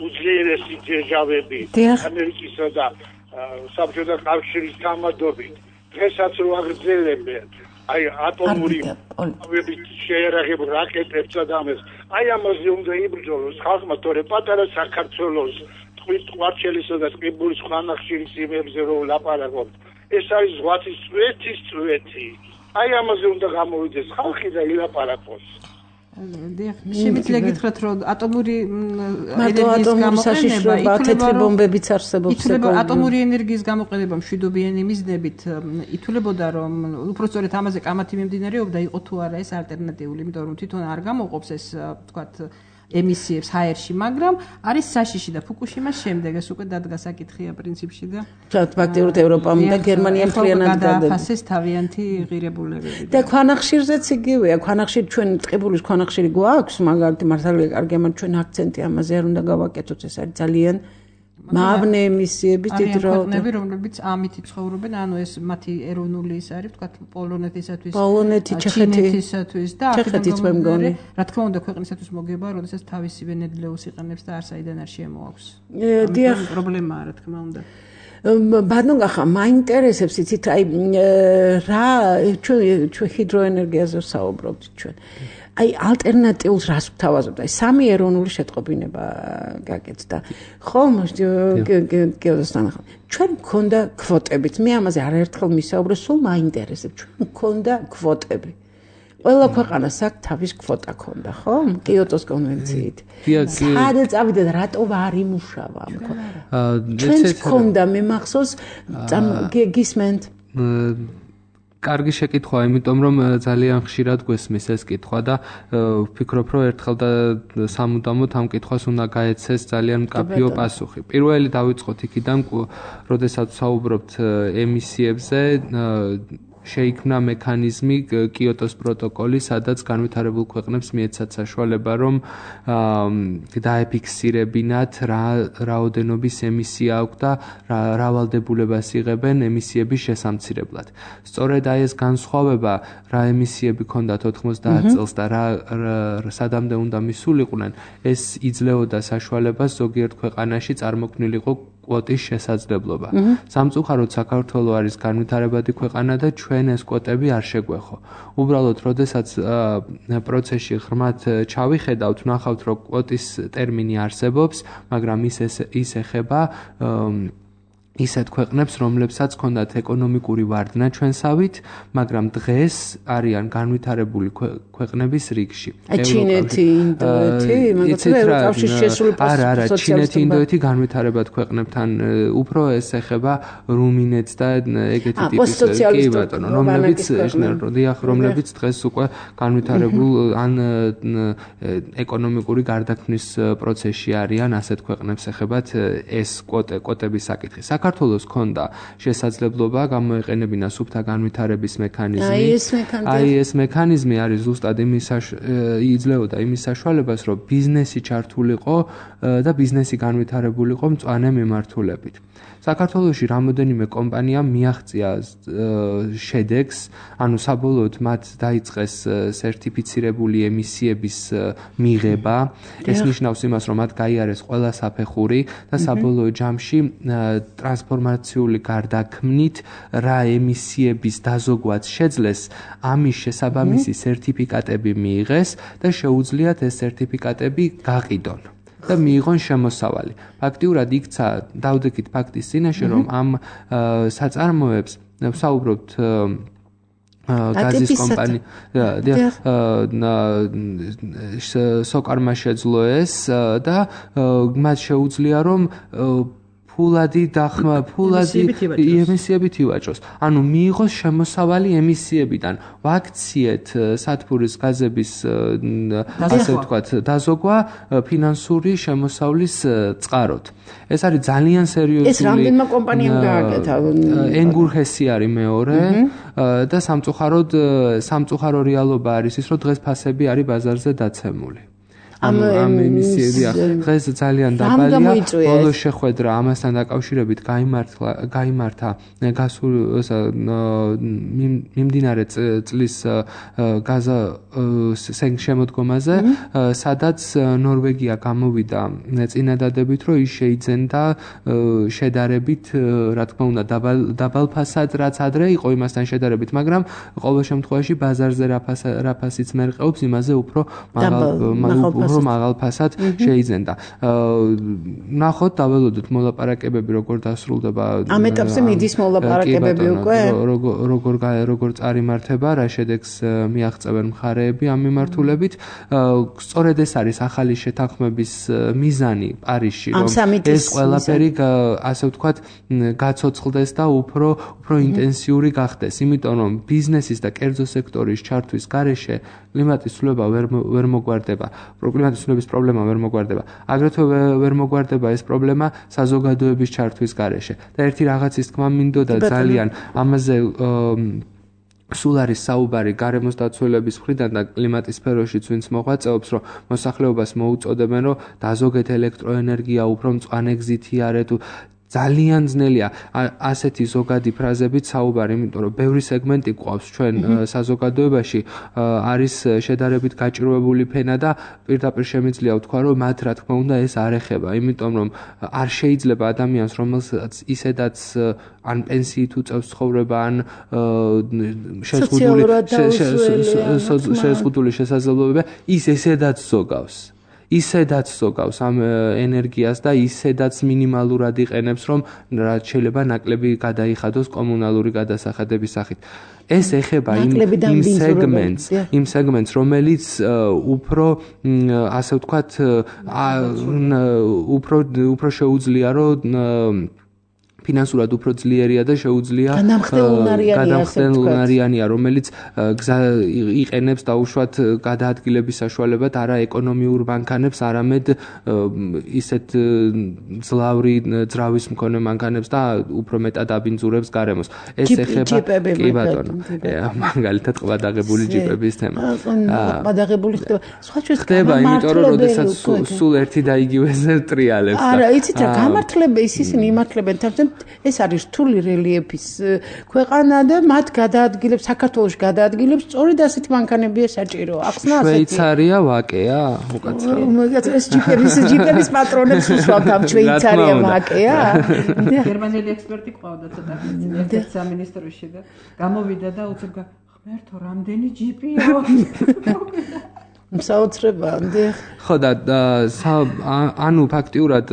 Speaker 7: უძლიერესი ძერჟავები ამერიკისა და საბჭოთა კავშირის გამადობით დღესაც რო აგრძელებენ აი ატომური ბომბების შეერაღებულ რაკეტებს და ამას აი ამაზე უნდა იბრძოლოს ხალხმა თორე პატარა საქართველოს ტყვით ყვარჩელისა და ტყიბულის ხანახშირის იმებზე რო ლაპარაკობთ ეს არის ზღვათის წვეთის წვეთი აი ამაზე უნდა გამოვიდეს ხალხი და ილაპარაკოს
Speaker 5: დიახ, შემიძლია გითხრათ, რომ ატომური
Speaker 2: ენერგიის გამოყენება თეთრი ბომბებიც არსებობს.
Speaker 5: ითვლება ატომური ენერგიის გამოყენება მშვიდობიანი მიზნებით ითვლებოდა, რომ უფრო სწორედ ამაზე კამათი მიმდინარეობდა, იყო თუ არა ეს ალტერნატიული, იმიტომ რომ თვითონ არ გამოყოფს ეს, ვთქვათ, ემისიებს ჰაერში, მაგრამ არის საშიში და ფუკუშიმას შემდეგ ეს უკვე დადგა საკითხია პრინციპში და
Speaker 2: ფაქტიურად ევროპამ და გერმანიამ მთლიანად
Speaker 5: გადააფასეს თავიანთი ღირებულებები.
Speaker 2: და ქვანახშირზეც იგივეა, ქვანახშირი ჩვენ ტყიბულის ქვანახშირი გვაქვს, მაგალითად მართალია კარგია, მაგრამ ჩვენ აქცენტი ამაზე არ უნდა გავაკეთოთ, ეს არის ძალიან მავნე ემისიები დიდ რო
Speaker 5: ქვეყნები, რომლებიც ამით ცხოვრობენ, ანუ ეს მათი ეროვნული ის არის, ვთქვათ, პოლონეთისათვის,
Speaker 2: პოლონეთი, ჩეხეთისათვის
Speaker 5: და ჩეხეთიც მე მგონი. რა თქმა უნდა, ქვეყნისათვის მოგება, როდესაც თავისივე ნედლეულს იყენებს და არ საიდან არ შემოაქვს.
Speaker 2: დიახ,
Speaker 5: პრობლემაა, რა თქმა უნდა.
Speaker 2: ბატონო, მაინტერესებს იცით, აი რა ჩვენ ჩვენ ჰიდროენერგიაზე საუბრობთ ჩვენ. აი ალტერნატიულს რას ვთავაზობთ? აი სამი ეროვნული შეტყობინება გაკეთდა. ხომ გეოდოსთან ახლა. ჩვენ მქონდა კვოტებით. მე ამაზე არაერთხელ მისაუბრე, სულ მაინტერესებს. ჩვენ მქონდა კვოტები. ყველა ქვეყანას აქვს თავის კვოტა ქონდა, ხო? კიოტოს კონვენციით. სადაც წავიდეთ, რატო არ იმუშავა ამ ქვეყანაში? ჩვენც მქონდა, მე მახსოვს, გისმენთ
Speaker 4: კარგი შეკითხვაა, იმიტომ რომ ძალიან ხშირად გვესმის ეს კითხვა და ვფიქრობ, რომ ერთხელ და სამუდამოდ ამ კითხვას უნდა გაეცეს ძალიან მკაფიო პასუხი. პირველი დავიწყოთ იქიდან, როდესაც საუბრობთ ემისიებზე, შეიქმნა მექანიზმი კიოტოს პროტოკოლი, სადაც განვითარებულ ქვეყნებს მიეცათ საშუალება, რომ დაეფიქსირებინათ რა რაოდენობის ემისია აქვს და რა ვალდებულებას იღებენ ემისიების შესამცირებლად. სწორედ აი ეს განსხვავება, რა ემისიები ქონდათ ოთხმოცდაათ წელს და რა სადამდე უნდა მისულიყვნენ, ეს იძლეოდა საშუალებას ზოგიერთ ქვეყანაში წარმოქმნილიყო კვოტის შესაძლებლობა. სამწუხაროდ საქართველო არის განვითარებადი ქვეყანა და ჩვენ ეს კვოტები არ შეგვეხო. უბრალოდ, როდესაც პროცესში ღრმად ჩავიხედავთ, ვნახავთ, რომ კვოტის ტერმინი არსებობს, მაგრამ ის ის ეხება ისეთ ქვეყნებს, რომლებსაც ჰქონდათ ეკონომიკური ვარდნა ჩვენსავით, მაგრამ დღეს არიან განვითარებული ქვეყნების რიგში.
Speaker 2: ჩინეთი, ინდოეთი, მაგალითად, ევროკავშირის შესული
Speaker 4: არა, არა, ჩინეთი, ინდოეთი განვითარებად ქვეყნებთან უფრო ეს ეხება რუმინეთს და ეგეთი ტიპის კი ბატონო, რომლებიც დიახ, რომლებიც დღეს უკვე განვითარებულ ან ეკონომიკური გარდაქმნის პროცესში არიან, ასეთ ქვეყნებს ეხებათ ეს კვოტე, კვოტების საკითხი. საქართველოს ჰქონდა შესაძლებლობა გამოეყენებინა სუფთა განვითარების მექანიზმი.
Speaker 2: აი ეს მექანიზმი.
Speaker 4: აი ეს მექანიზმი არის ზუსტად იმის იძლეოდა იმის საშუალებას, რომ ბიზნესი ჩართულიყო და ბიზნესი განვითარებულიყო მწვანე მიმართულებით. საქართველოში რამოდენიმე კომპანია მიაღწია შედეგს, ანუ საბოლოოდ მათ დაიწყეს სერტიფიცირებული ემისიების მიღება. ეს ნიშნავს იმას, რომ მათ გაიარეს ყველა საფეხური და საბოლოო ჯამში ტრანსფორმაციული გარდაქმნით რა ემისიების დაზოგვაც შეძლეს, ამის შესაბამისი სერტიფიკატები მიიღეს და შეუძლიათ ეს სერტიფიკატები გაყიდონ. და მიიღონ შემოსავალი. ფაქტიურად იქცა დავდექით ფაქტის წინაშე, რომ ამ საწარმოებს ვსაუბრობთ გაზის კომპანია სოკარმა შეძლო ეს და მათ შეუძლია რომ ფულადი დახმა ფულადი ემისიებით ივაჭროს. ანუ მიიღოს შემოსავალი ემისიებიდან. ვაქციეთ სათბურის გაზების ასე ვთქვათ დაზოგვა ფინანსური შემოსავლის წყაროთ. ეს არის ძალიან სერიოზული.
Speaker 2: ეს რამდენმა კომპანიამ გააკეთა.
Speaker 4: ენგურჰესი არის მეორე და სამწუხაროდ სამწუხარო რეალობა არის ის, რომ დღეს ფასები არის ბაზარზე დაცემული. ამ ემისიებია დღეს ძალიან დაბალია. ბოლო შეხვედრა ამასთან დაკავშირებით გაიმართა გაიმართა გასულ მიმდინარე წლის გაზა შემოდგომაზე, სადაც ნორვეგია გამოვიდა წინადადებით, რომ ის შეიძენდა შედარებით, რა თქმა უნდა, დაბალ ფასად, რაც ადრე იყო იმასთან შედარებით, მაგრამ ყოველ შემთხვევაში ბაზარზე რა ფასიც მერყეობს, იმაზე უფრო მაღალ რომ მაღალ ფასად შეიძენდა. ნახოთ, დაველოდოთ მოლაპარაკებები როგორ დასრულდება.
Speaker 2: ამ ეტაპზე მიდის მოლაპარაკებები უკვე?
Speaker 4: როგორ როგორ წარიმართება, რა შედეგს მიაღწევენ მხარეები ამ მიმართულებით. სწორედ ეს არის ახალი შეთანხმების მიზანი პარიზში, რომ ეს ყველაფერი ასე ვთქვათ გაცოცხლდეს და უფრო უფრო ინტენსიური გახდეს, იმიტომ რომ ბიზნესის და კერძო სექტორის ჩართვის გარეშე კლიმატის ცვლილება ვერ ვერ მოგვარდება. კლიმატის ცვლილების პრობლემა ვერ მოგვარდება. აგრეთვე ვერ მოგვარდება ეს პრობლემა საზოგადოების ჩართვის გარეშე. და ერთი რაღაცის თქმა მინდოდა ძალიან ამაზე სულ არის საუბარი გარემოს დაცველების მხრიდან და კლიმატის სფეროშიც ვინც მოღვაწეობს, რომ მოსახლეობას მოუწოდებენ, რომ დაზოგეთ ელექტროენერგია, უფრო მწვანე გზით იარეთ. ძალიან ძნელია ასეთი ზოგადი ფრაზებით საუბარი, იმიტომ რომ ბევრი სეგმენტი გვყავს ჩვენ საზოგადოებაში, არის შედარებით გაჭირვებული ფენა და პირდაპირ შემიძლია ვთქვა, რომ მათ რა თქმა უნდა ეს არ ეხება, იმიტომ რომ არ შეიძლება ადამიანს, რომელსაც ისედაც ან პენსიით უწევს ცხოვრება, ან შეზღუდული შესაძლებლობები, ის ესედაც ზოგავს. ისედაც ზოგავს ამ ენერგიას და ისედაც მინიმალურად იყენებს, რომ რაც შეიძლება ნაკლები გადაიხადოს კომუნალური გადასახადების სახით. ეს ეხება იმ იმ სეგმენტს, იმ სეგმენტს, რომელიც უფრო ასე ვთქვათ, უფრო უფრო შეუძლია, რომ ფინანსურად უფრო ძლიერია და შეუძლია გადამხდელნარიანია, რომელიც იყენებს დაუშვათ გადაადგილების საშუალებად არა ეკონომიურ მანქანებს, არამედ ისეთ ძლავრი ძრავის მქონე მანქანებს და უფრო მეტად აბინძურებს გარემოს. ეს ეხება კი ბატონო, მაგალითად ყბადაღებული ჯიპების თემა.
Speaker 2: ყბადაღებული ხდება. სხვა ჩვენ
Speaker 4: ხდება, იმიტომ რომ როდესაც სულ ერთი და იგივეზე ტრიალებს.
Speaker 2: არა, იცით რა, გამართლების ისინი იმართლებენ თავზე ეს არის რთული რელიეფის ქვეყანა და მათ გადაადგილებს საქართველოს გადაადგილებს სწორედ ასეთი მანქანებია საჭირო. ახსნა ასეთი.
Speaker 4: შვეიცარია ვაკეა, უკაცრავ.
Speaker 2: მაგათ ეს ჯიპების ჯიპების პატრონებს უსვამთ ამ შვეიცარია ვაკეა.
Speaker 5: გერმანელი ექსპერტი ყავდა ცოტა ერთ სამინისტროში და გამოვიდა და უცებ ღმერთო რამდენი ჯიპია.
Speaker 2: საოცრებამდე.
Speaker 4: ხო და ანუ ფაქტიურად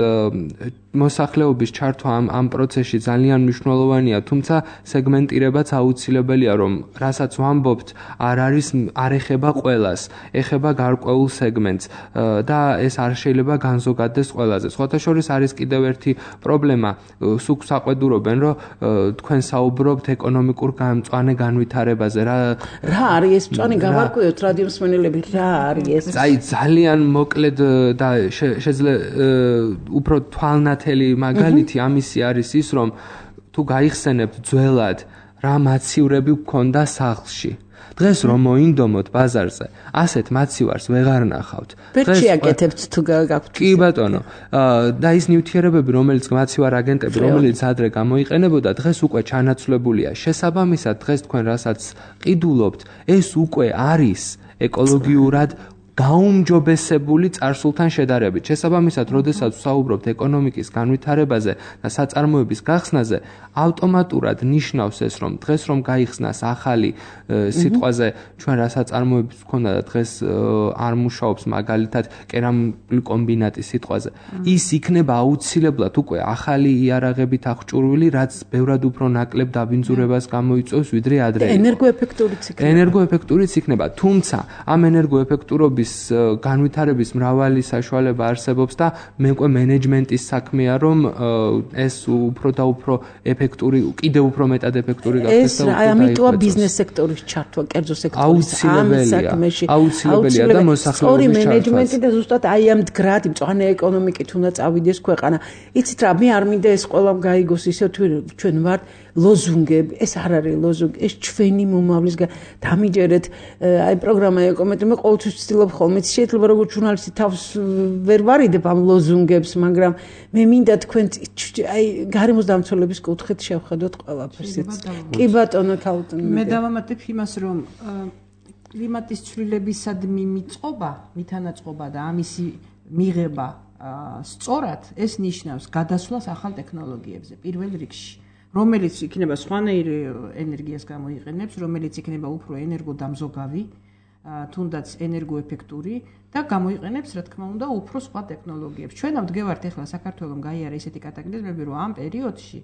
Speaker 4: მოსახლეობის ჩართვა ამ ამ პროცესში ძალიან მნიშვნელოვანია, თუმცა სეგმენტირებაც აუცილებელია, რომ რასაც ვამბობთ, არ არის არ ეხება ყველას, ეხება გარკვეულ სეგმენტს და ეს არ შეიძლება განზოგადდეს ყველაზე. სხვათა შორის არის კიდევ ერთი პრობლემა, სულ საყვედურობენ, რომ თქვენ საუბრობთ ეკონომიკურ მწვანე განვითარებაზე, რა
Speaker 2: რა არის ეს მწვანე გავარკვიოთ რადიომსმენელები, რა არის ეს?
Speaker 4: აი ძალიან მოკლედ და შეძლე უფრო თვალნათ ნათელი მაგალითი ამისი არის ის, რომ თუ გაიხსენებთ ძველად რა მაცივრები გქონდა სახლში. დღეს რომ მოინდომოთ ბაზარზე, ასეთ მაცივარს ვეღარ ნახავთ.
Speaker 2: დღეს შეაკეთებთ თუ გაქვთ.
Speaker 4: კი ბატონო, და ის ნივთიერებები, რომელიც მაცივარ აგენტები, რომელიც ადრე გამოიყენებოდა, დღეს უკვე ჩანაცვლებულია. შესაბამისად, დღეს თქვენ რასაც ყიდულობთ, ეს უკვე არის ეკოლოგიურად გაუმჯობესებული წარსულთან შედარებით. შესაბამისად, როდესაც ვსაუბრობთ ეკონომიკის განვითარებაზე და საწარმოების გახსნაზე, ავტომატურად ნიშნავს ეს, რომ დღეს რომ გაიხსნას ახალი სიტყვაზე ჩვენ რა საწარმოების გქონდა და დღეს არ მუშაობს, მაგალითად კერამული კომბინატის სიტყვაზე, ის იქნება აუცილებლად უკვე ახალი იარაღებით აღჭურვილი, რაც ბევრად უფრო ნაკლებ დაბინძურებას გამოიწვევს, ვიდრე ადრე.
Speaker 2: ენერგოეფექტურიც იქნება.
Speaker 4: ენერგოეფექტურიც იქნება, თუმცა ამ ენერგოეფექტურობის განვითარების მრავალი საშუალება არსებობს და მე მგონი მენეჯმენტის საქმეა, რომ ეს უფრო და უფრო ეფექტური, კიდევ უფრო მეტად ეფექტური გახდეს და
Speaker 2: ეს ამიტოა ბიზნეს სექტორის ჩართვა, კერძო სექტორის ამ საქმეში.
Speaker 4: აუცილებელია და მოსახლეობის
Speaker 2: სწორი მენეჯმენტი და ზუსტად აი ამ მდგრადი მწვანე ეკონომიკით უნდა წავიდეს ქვეყანა. იცით რა, მე არ მინდა ეს ყველამ გაიგოს ისე თუ ჩვენ ვართ ლოზუნგები, ეს არ არის ლოზუნგი, ეს ჩვენი მომავლის დამიჯერეთ აი პროგრამა ეკომეტრი, მე ყოველთვის ვცდილობ ხოლმე, შეიძლება როგორც ჟურნალისტი თავს ვერ ვარიდებ ამ ლოზუნგებს, მაგრამ მე მინდა თქვენ აი გარემოს დამცველების კუთხით შევხედოთ ყველაფერს. კი ბატონო ქაუტონი.
Speaker 5: მე დავამატებ იმას, რომ კლიმატის ცვლილებისადმი მიწყობა, მითანაწყობა და ამისი მიღება სწორად ეს ნიშნავს გადასვლას ახალ ტექნოლოგიებზე პირველ რიგში. რომელიც იქნება სხვანაირი ენერგიას გამოიყენებს, რომელიც იქნება უფრო ენერგოდამზოგავი, თუნდაც ენერგოეფექტური და გამოიყენებს, რა თქმა უნდა, უფრო სხვა ტექნოლოგიებს. ჩვენ ვდგევართ ახლა საქართველოს გაიარა ესეთი კატაკლიზმები, რომ ამ პერიოდში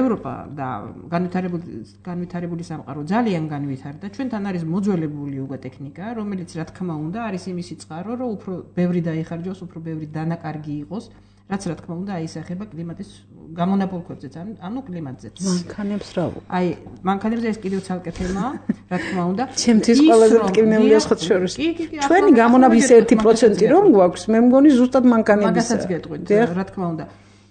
Speaker 5: ევროპა და განვითარებული განვითარებული სამყარო ძალიან განვითარდა. ჩვენთან არის მოძველებული უკვე ტექნიკა, რომელიც რა თქმა უნდა არის იმისი წყარო, რომ უფრო ბევრი დაიხარჯოს, უფრო ბევრი დანაკარგი იყოს. რაც რა თქმა უნდა აისახება კლიმატის გამონაბოლქვებზეც, ანუ კლიმატზეც.
Speaker 2: მანქანებს რა ვუ?
Speaker 5: აი, მანქანებზე ეს კიდევ ცალკე თემაა, რა თქმა უნდა.
Speaker 2: ჩემთვის ყველაზე მტკივნეულია სხვა შორის. ჩვენი გამონაბის ერთი პროცენტი რომ გვაქვს, მე მგონი ზუსტად მანქანებისა.
Speaker 5: მაგასაც გეტყვით, რა თქმა უნდა.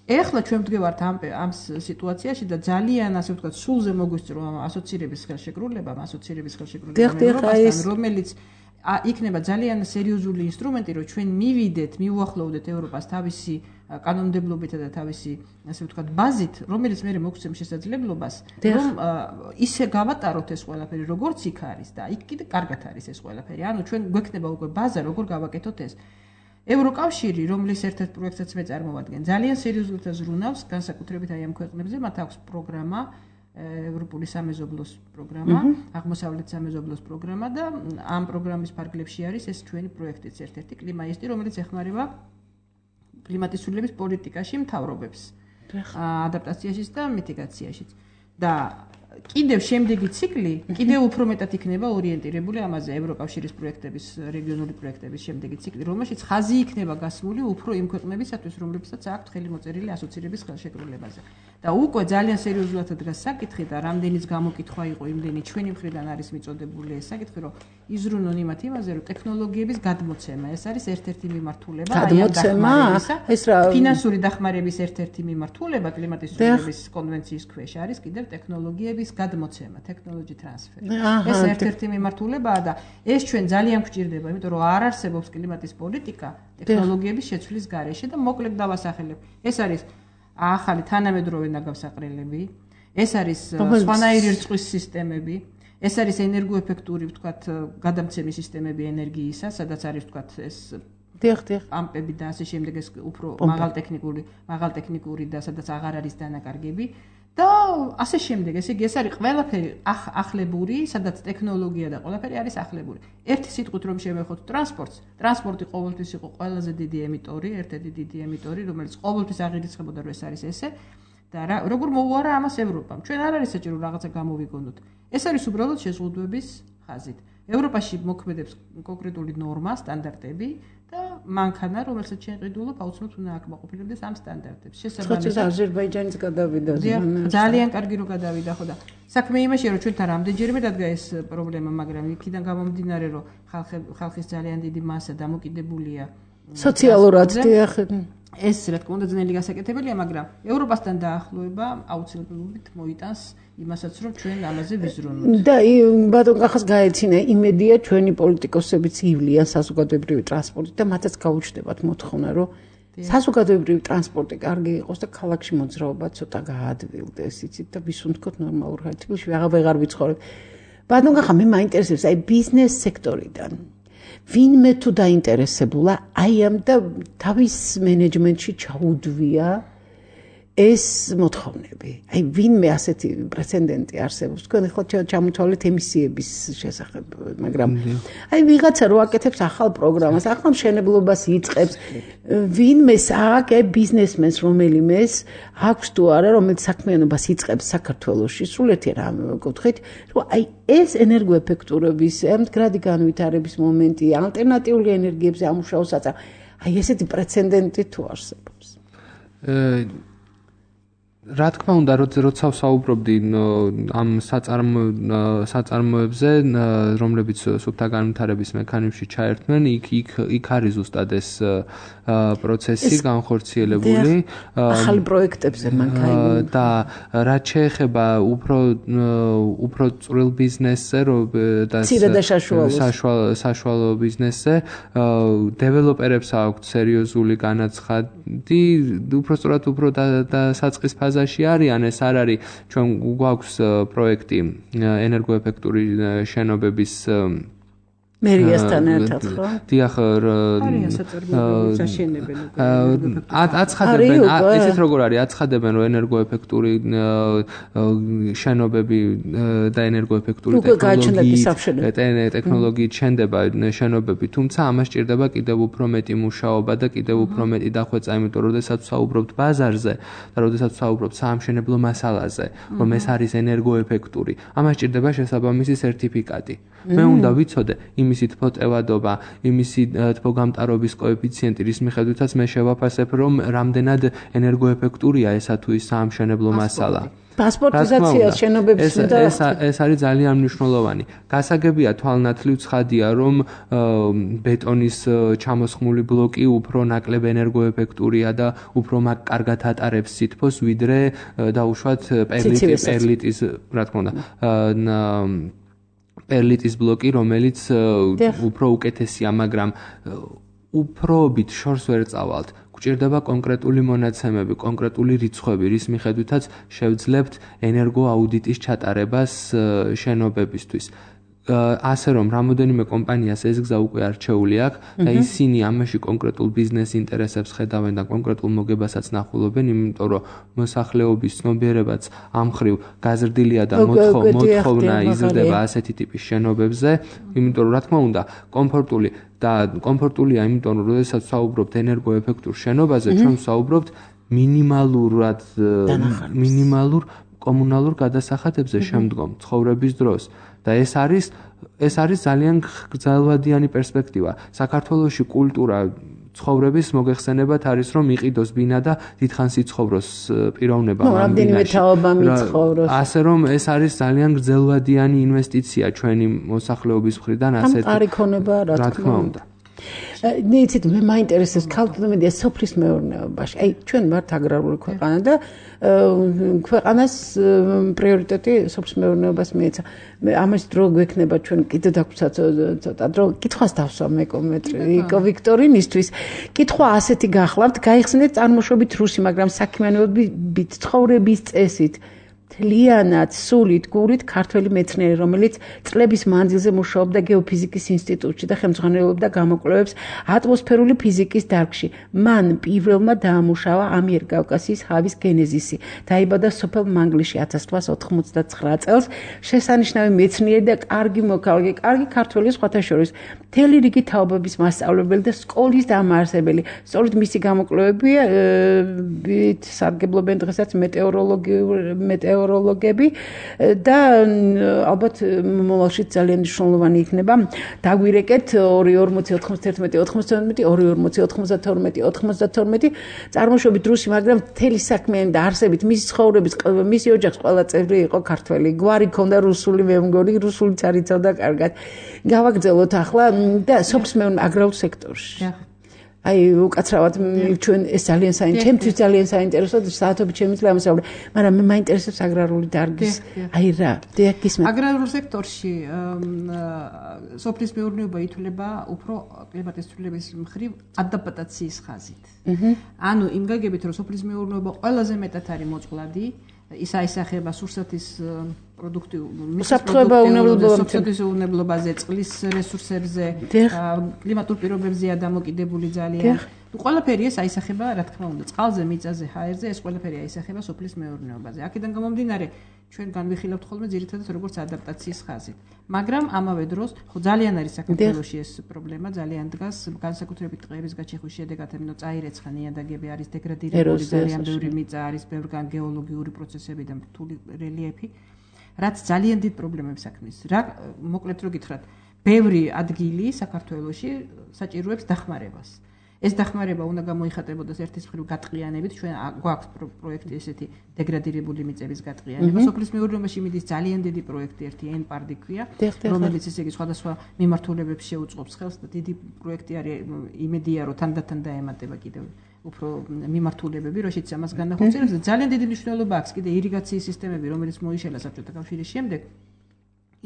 Speaker 5: ეხლა ჩვენ ვდგევართ ამ ამ სიტუაციაში და ძალიან ასე ვთქვათ, სულზე მოგვისწრო ამ ასოცირების ხელშეკრულება, ასოცირების ხელშეკრულება, რომელიც იქნება ძალიან სერიოზული ინსტრუმენტი, რომ ჩვენ მივიდეთ, მიუახლოვდეთ ევროპას თავისი კანონმდებლობითა და თავისი, ასე ვთქვათ, ბაზით, რომელიც მე მოგცემ შესაძლებლობას, რომ ისე გავატაროთ ეს ყველაფერი, როგორც იქ არის და იქ კიდე კარგად არის ეს ყველაფერი. ანუ ჩვენ გვექნება უკვე ბაზა, როგორ გავაკეთოთ ეს. ევროკავშირი, რომლის ერთ-ერთ პროექტსაც მე წარმოვადგენ, ძალიან სერიოზულად ზრუნავს, განსაკუთრებით აი ამ ქვეყნებზე, მათ აქვს პროგრამა ევროპული სამეზობლოს პროგრამა, აღმოსავლეთ სამეზობლოს პროგრამა და ამ პროგრამის ფარგლებში არის ეს ჩვენი პროექტიც ერთ-ერთი კლიმაისტი, რომელიც ეხმარება კლიმატის ცვლილების პოლიტიკაში მთავრობებს, ადაპტაციაშიც და მიტიგაციაშიც. და კიდევ შემდეგი ციკლი კიდევ უფრო მეტად იქნება ორიენტირებული ამაზე ევროკავშირის პროექტების, რეგიონული პროექტების შემდეგი ციკლი, რომელშიც ხაზი იქნება გასმული უფრო იმ ქვეყნებისათვის, რომლებსაც აქვთ ხელი მოწერილი ასოცირების ხელშეკრულებაზე. და უკვე ძალიან სერიოზულად დგას საკითხი და რამდენიც გამოკითხვა იყო იმდენი ჩვენი მხრიდან არის მიწოდებული ეს საკითხი, რომ იზრუნონ იმათ იმაზე, რომ ტექნოლოგიების გადმოცემა, ეს არის ერთ-ერთი მიმართულება,
Speaker 2: გადმოცემა, ეს რა
Speaker 5: ფინანსური დახმარების ერთ-ერთი მიმართულება კლიმატის ცვლილების კონვენციის ქვეშ არის კიდევ ტექნოლოგიების გადმოცემა, technology transfer. ეს ერთ-ერთი მიმართულებაა და ეს ჩვენ ძალიან გვჭირდება, იმიტომ რომ არ არსებობს კლიმატის პოლიტიკა ტექნოლოგიების შეცვლის გარეშე და მოკლედ დავასახელებ. ეს არის ახალი თანამედროვე ნაგავსაყრელები, ეს არის სხვანაირი რწყვის სისტემები, ეს არის ენერგოეფექტური, ვთქვათ, გადამცემი სისტემები ენერგიისა, სადაც არის, ვთქვათ, ეს
Speaker 2: დიახ, დიახ,
Speaker 5: პამპები და ასე შემდეგ, ეს უფრო მაღალტექნიკური, მაღალტექნიკური და სადაც აღარ არის დანაკარგები და ასე შემდეგ. ესე იგი, ეს არის ყველაფერი ახლებური, სადაც ტექნოლოგია და ყველაფერი არის ახლებური. ერთი სიტყვით რომ შევეხოთ ტრანსპორტს, ტრანსპორტი ყოველთვის იყო ყველაზე დიდი ემიტორი, ერთ-ერთი დიდი ემიტორი, რომელიც ყოველთვის აღირიცხებოდა, რომ ეს არის ესე და როგორ მოუარა ამას ევროპამ. ჩვენ არ არის საჭირო რაღაცა გამოვიგონოთ. ეს არის უბრალოდ შეზღუდვების ხაზით. ევროპაში მოქმედებს კონკრეტული ნორმა, სტანდარტები და მანქანა, რომელსაც ჩვენ ყიდულობ, აუცილებლად უნდა აკმაყოფილებდეს ამ სტანდარტებს.
Speaker 2: შესაბამისად, აზერბაიჯანის გადავიდა.
Speaker 5: ძალიან კარგი რომ გადავიდა, ხო და საქმე იმაშია, რომ ჩვენთან რამდენჯერმე დადგა ეს პრობლემა, მაგრამ იქიდან გამომდინარე, რომ ხალხის ძალიან დიდი მასა დამოკიდებულია
Speaker 2: სოციალურად, დიახ,
Speaker 5: ეს რა თქმა უნდა ძნელი გასაკეთებელია, მაგრამ ევროპასთან დაახლოება აუცილებლობით მოიტანს იმასაც, რომ ჩვენ ამაზე ვიზრუნოთ.
Speaker 2: და ბატონ კახას გაეცინა იმედია ჩვენი პოლიტიკოსებიც ივლიან საზოგადოებრივი ტრანსპორტით და მათაც გაუჩნდებათ მოთხოვნა, რომ საზოგადოებრივი ტრანსპორტი კარგი იყოს და ქალაქში მოძრაობა ცოტა გაადვილდეს, იცით და ვისუნთქოთ ნორმალურ ხალხში, ვეღარ ვეღარ ვიცხოვრებ. ბატონ კახა, მე მაინტერესებს აი ბიზნეს სექტორიდან. ვინმე თუ დაინტერესებულა აი ამ და თავის მენეჯმენტში ჩაუდვია ეს მოთხოვნები. აი ვინმე ასეთი პრეცედენტი არსებობს. თქვენ ახლა ჩამოთვალეთ ემისიების შესახებ, მაგრამ აი ვიღაცა რო აკეთებს ახალ პროგრამას, ახალ მშენებლობას იწყებს, ვინმეს აქ ბიზნესმენს რომელიმეს აქვს თუ არა, რომელიც საქმიანობას იწყებს საქართველოში, სულეთი რა მეკითხით, რომ აი ეს ენერგოეფექტურობის, მდგრადი განვითარების მომენტი, ალტერნატიული ენერგიებზე ამუშავოს აწა. აი ესეთი პრეცედენტი თუ არსებობს.
Speaker 4: რა თქმა უნდა, როცა ვსაუბრობდი ამ საწარმო საწარმოებზე, რომლებიც სუფთა განვითარების მექანიზმში ჩაერთმენ, იქ იქ იქ არის ზუსტად ეს პროცესი განხორციელებული.
Speaker 2: ახალი პროექტებზე მანქანა
Speaker 4: და რაც შეეხება უფრო უფრო წვრილ ბიზნესზე, და საშუალო ბიზნესზე, დეველოპერებს აქვთ სერიოზული განაცხადი, უფრო სწორად უფრო და საწყის ფაზაში არიან, ეს არ არის ჩვენ გვაქვს პროექტი ენერგოეფექტური შენობების
Speaker 2: მერიასთან ერთად ხო?
Speaker 4: დიახ,
Speaker 5: არიან საწარმოებები საშენებელი.
Speaker 4: აცხადებენ, ესეც როგორ არის, აცხადებენ, რომ ენერგოეფექტური შენობები და ენერგოეფექტური ტექნოლოგიით შენდება შენობები, თუმცა ამას სჭირდება კიდევ უფრო მეტი მუშაობა და კიდევ უფრო მეტი დახვეწა, იმიტომ რომ როდესაც ვსაუბრობთ ბაზარზე და როდესაც ვსაუბრობთ საამშენებლო მასალაზე, რომ ეს არის ენერგოეფექტური, ამას სჭირდება შესაბამისი სერტიფიკატი. მე უნდა ვიცოდე იმისი თბოტევადობა, იმისი თბოგამტარობის კოეფიციენტი, რის მიხედვითაც მე შევაფასებ, რომ რამდენად ენერგოეფექტურია ესა თუ ის საამშენებლო მასალა.
Speaker 2: პასპორტიზაცია შენობების
Speaker 4: უნდა ეს ეს არის ძალიან მნიშვნელოვანი. გასაგებია თვალნათლივ ცხადია, რომ ბეტონის ჩამოსხმული ბლოკი უფრო ნაკლებ ენერგოეფექტურია და უფრო კარგად ატარებს სითბოს, ვიდრე დაუშვათ პერლიტის, რა თქმა უნდა, პერლიტის ბლოკი, რომელიც უფრო უკეთესია, მაგრამ უფრობით შორს ვერ წავალთ. გვჭირდება კონკრეტული მონაცემები, კონკრეტული რიცხვები, რის მიხედვითაც შევძლებთ ენერგოაუდიტის ჩატარებას შენობებისთვის. ასე რომ რამოდენიმე კომპანიას ეს გზა უკვე არჩეული აქვს და ისინი ამაში კონკრეტულ ბიზნეს ინტერესებს ხედავენ და კონკრეტულ მოგებასაც ნახულობენ, იმიტომ რომ მოსახლეობის ცნობიერებაც ამ მხრივ გაზრდილია და მოთხოვნა იზრდება ასეთი ტიპის შენობებზე, იმიტომ რომ რა თქმა უნდა, კომფორტული და კომფორტულია, იმიტომ რომ როდესაც ვსაუბრობთ ენერგოეფექტურ შენობაზე, ჩვენ ვსაუბრობთ მინიმალურად მინიმალურ კომუნალურ გადასახადებზე შემდგომ ცხოვრების დროს. და ეს არის ეს არის ძალიან გრძელვადიანი პერსპექტივა. საქართველოში კულტურა ცხოვრების მოგეხსენებათ არის, რომ იყიდოს ბინა და დიდხანს იცხოვროს პიროვნება ამ ბინაში. ასე რომ ეს არის ძალიან გრძელვადიანი ინვესტიცია ჩვენი მოსახლეობის მხრიდან, ასეთი რა თქმა უნდა.
Speaker 2: ნეიცით მე მაინტერესებს ქალთმედია სოფლის მეურნეობაში. აი ჩვენ ვართ აგრარული ქვეყანა და ქვეყანას პრიორიტეტი სოფლის მეურნეობას მიეცა. მე ამას დრო გვექნება ჩვენ კიდე დაგვცა ცოტა დრო კითხვას დავსვა მეკომეტრი იკო ვიქტორინისთვის. კითხვა ასეთი გახლავთ, გაიხსნეთ წარმოშობით რუსი, მაგრამ საქმიანობით ცხოვრების წესით თლიანად, სულით, გურით ქართველი მეცნიერი, რომელიც წლების მანძილზე მუშაობდა გეოფიზიკის ინსტიტუტში და ხელმძღვანელობდა გამოკვლევებს ატმოსფერული ფიზიკის დარგში. მან პირველმა დაამუშავა ამიერკავკასიის ჰავის გენეზისი. დაიბადა სოფელ მანგლისში ათას რვაასა ოთხმოცდაცხრა წელს. შესანიშნავი მეცნიერი და კარგი მოქალაქე, კარგი ქართველი სხვათა შორის, მთელი რიგი თაობების მასწავლებელი და სკოლის დამაარსებელი. სწორედ მისი გამოკვლევებია სარგებლობენ დღესაც მეტეოროლოგიური მეტეოროლოგები და ალბათ მომავალში ძალიან მნიშვნელოვანი იქნება. დაგვირეკეთ ორი ორმოცი ოთხმოცდაერთმეტი ოთხმოცდაათმეტი ორი ორმოცი ოთხმოცდათორმეტი ოცდათორმეტი წარმოშობით რუსი, მაგრამ მთელი საქმიანი და არსებით მისი ცხოვრების მისი ოჯახის ყველა წევრი იყო ქართველი. გვარი ქონდა რუსული, მე მგონი რუსულიც არიცავდა კარგად. გავაგრძელოთ ახლა და სოფლის მეურნეობის აგრარულ სექტორში. აი უკაცრავად ჩვენ ეს ძალიან საინტერესო ჩემთვის ძალიან საინტერესოა საათობით შემიძლია ამასაუბრე მაგრამ მე მაინტერესებს აგრარული დარგის აი რა დიახ გისმენთ
Speaker 5: აგრარულ სექტორში სოფლის მეურნეობა ითვლება უფრო კლიმატის ცვლილების მხრივ ადაპტაციის ხაზით ანუ იმ გაგებით რომ სოფლის მეურნეობა ყველაზე მეტად არის მოწყვლადი ის აისახება სურსათის პროდუქტიულ სოფლის უნებლობაზე, წყლის რესურსებზე, კლიმატურ პირობებზე დამოკიდებული ძალიან. ყველაფერი ეს აისახება, რა თქმა უნდა, წყალზე, მიწაზე, ჰაერზე, ეს ყველაფერი აისახება სოფლის მეურნეობაზე. აქედან გამომდინარე, ჩვენ განვიხილავთ ხოლმე ძირითადად როგორც ადაპტაციის ხაზით. მაგრამ ამავე დროს, ხო ძალიან არის საქართველოში ეს პრობლემა, ძალიან დგას, განსაკუთრებით ტყეების გაჩეხვის შედეგად, ანუ წაირეცხა ნიადაგები არის დეგრადირებული, ძალიან ბევრი მიწა არის, ბევრგან გეოლოგიური პროცესები და რთული რელიეფი. რაც ძალიან დიდ პრობლემებს აქმნის. რა მოკლედ რო გითხრათ, ბევრი ადგილი საქართველოში საჭიროებს დახმარებას. ეს დახმარება უნდა გამოიხატებოდეს ერთის მხრივ გატყიანებით, ჩვენ გვაქვს პროექტი ესეთი დეგრადირებული მიწების გატყიანება. სოფლის მეურნეობაში მიდის ძალიან დიდი პროექტი, ერთი ენ-პარდი ქვია, რომელიც ესე იგი სხვადასხვა მიმართულებებს შეუწყობს ხელს და დიდი პროექტი არის, იმედია რომ თანდათან დაემატება კიდევ უფრო მიმართულებები, როშიც ამას განახორციელებს და ძალიან დიდი მნიშვნელობა აქვს კიდე ირიგაციის სისტემები, რომელიც მოიშალა საბჭოთა კავშირის შემდეგ.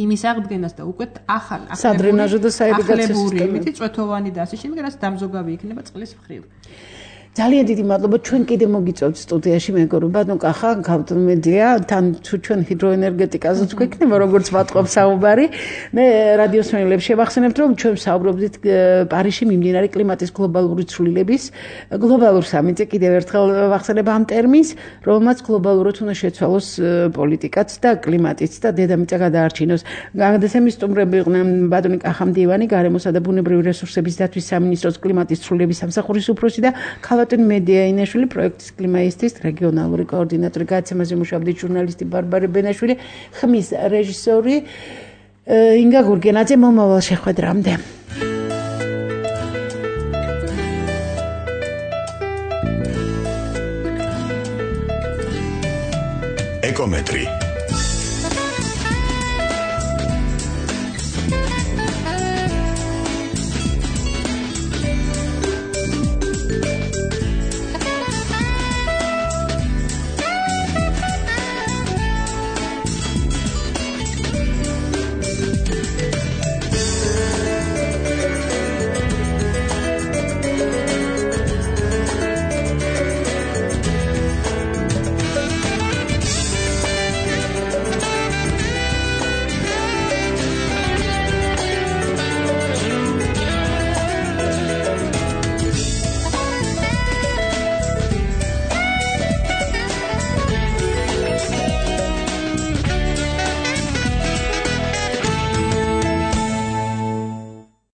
Speaker 5: იმის აღდგენას და უკვე ახალ
Speaker 2: სადრენაჟო და საირიგაციო
Speaker 5: სისტემები, წვეთოვანი და ასე შემდეგ, რაც დამზოგავი იქნება წყლის მხრივ.
Speaker 2: ძალიან დიდი მადლობა ჩვენ კიდე მოგიწევთ სტუდიაში მეგობრებო ბატონ კახა გავთმედია თან თუ ჩვენ ჰიდროენერგეტიკაზეც გვექნება როგორც ვატყობ საუბარი მე რადიოს მენელებს შევახსენებთ რომ ჩვენ ვსაუბრობდით პარიზში მიმდინარე კლიმატის გლობალური ცვლილების გლობალურ სამიტზე კიდევ ერთხელ ვახსენებ ამ ტერმინს რომელმაც გლობალურად უნდა შეცვალოს პოლიტიკაც და კლიმატიც და დედამიწა გადაარჩინოს გადაცემის სტუმრები იყვნენ ბატონი კახა მდივანი გარემოსა და ბუნებრივი რესურსების დაცვის სამინისტროს კლიმატის ცვლილების სამსახურის უფროსი და ხალატინ მედია ინაშვილი პროექტის კლიმაისტის რეგიონალური კოორდინატორი გადაცემაზე მუშაობდი ჟურნალისტი ბარბარე ბენაშვილი ხმის რეჟისორი ინგა გურგენაძე მომავალ შეხვედრამდე
Speaker 1: ეკომეტრი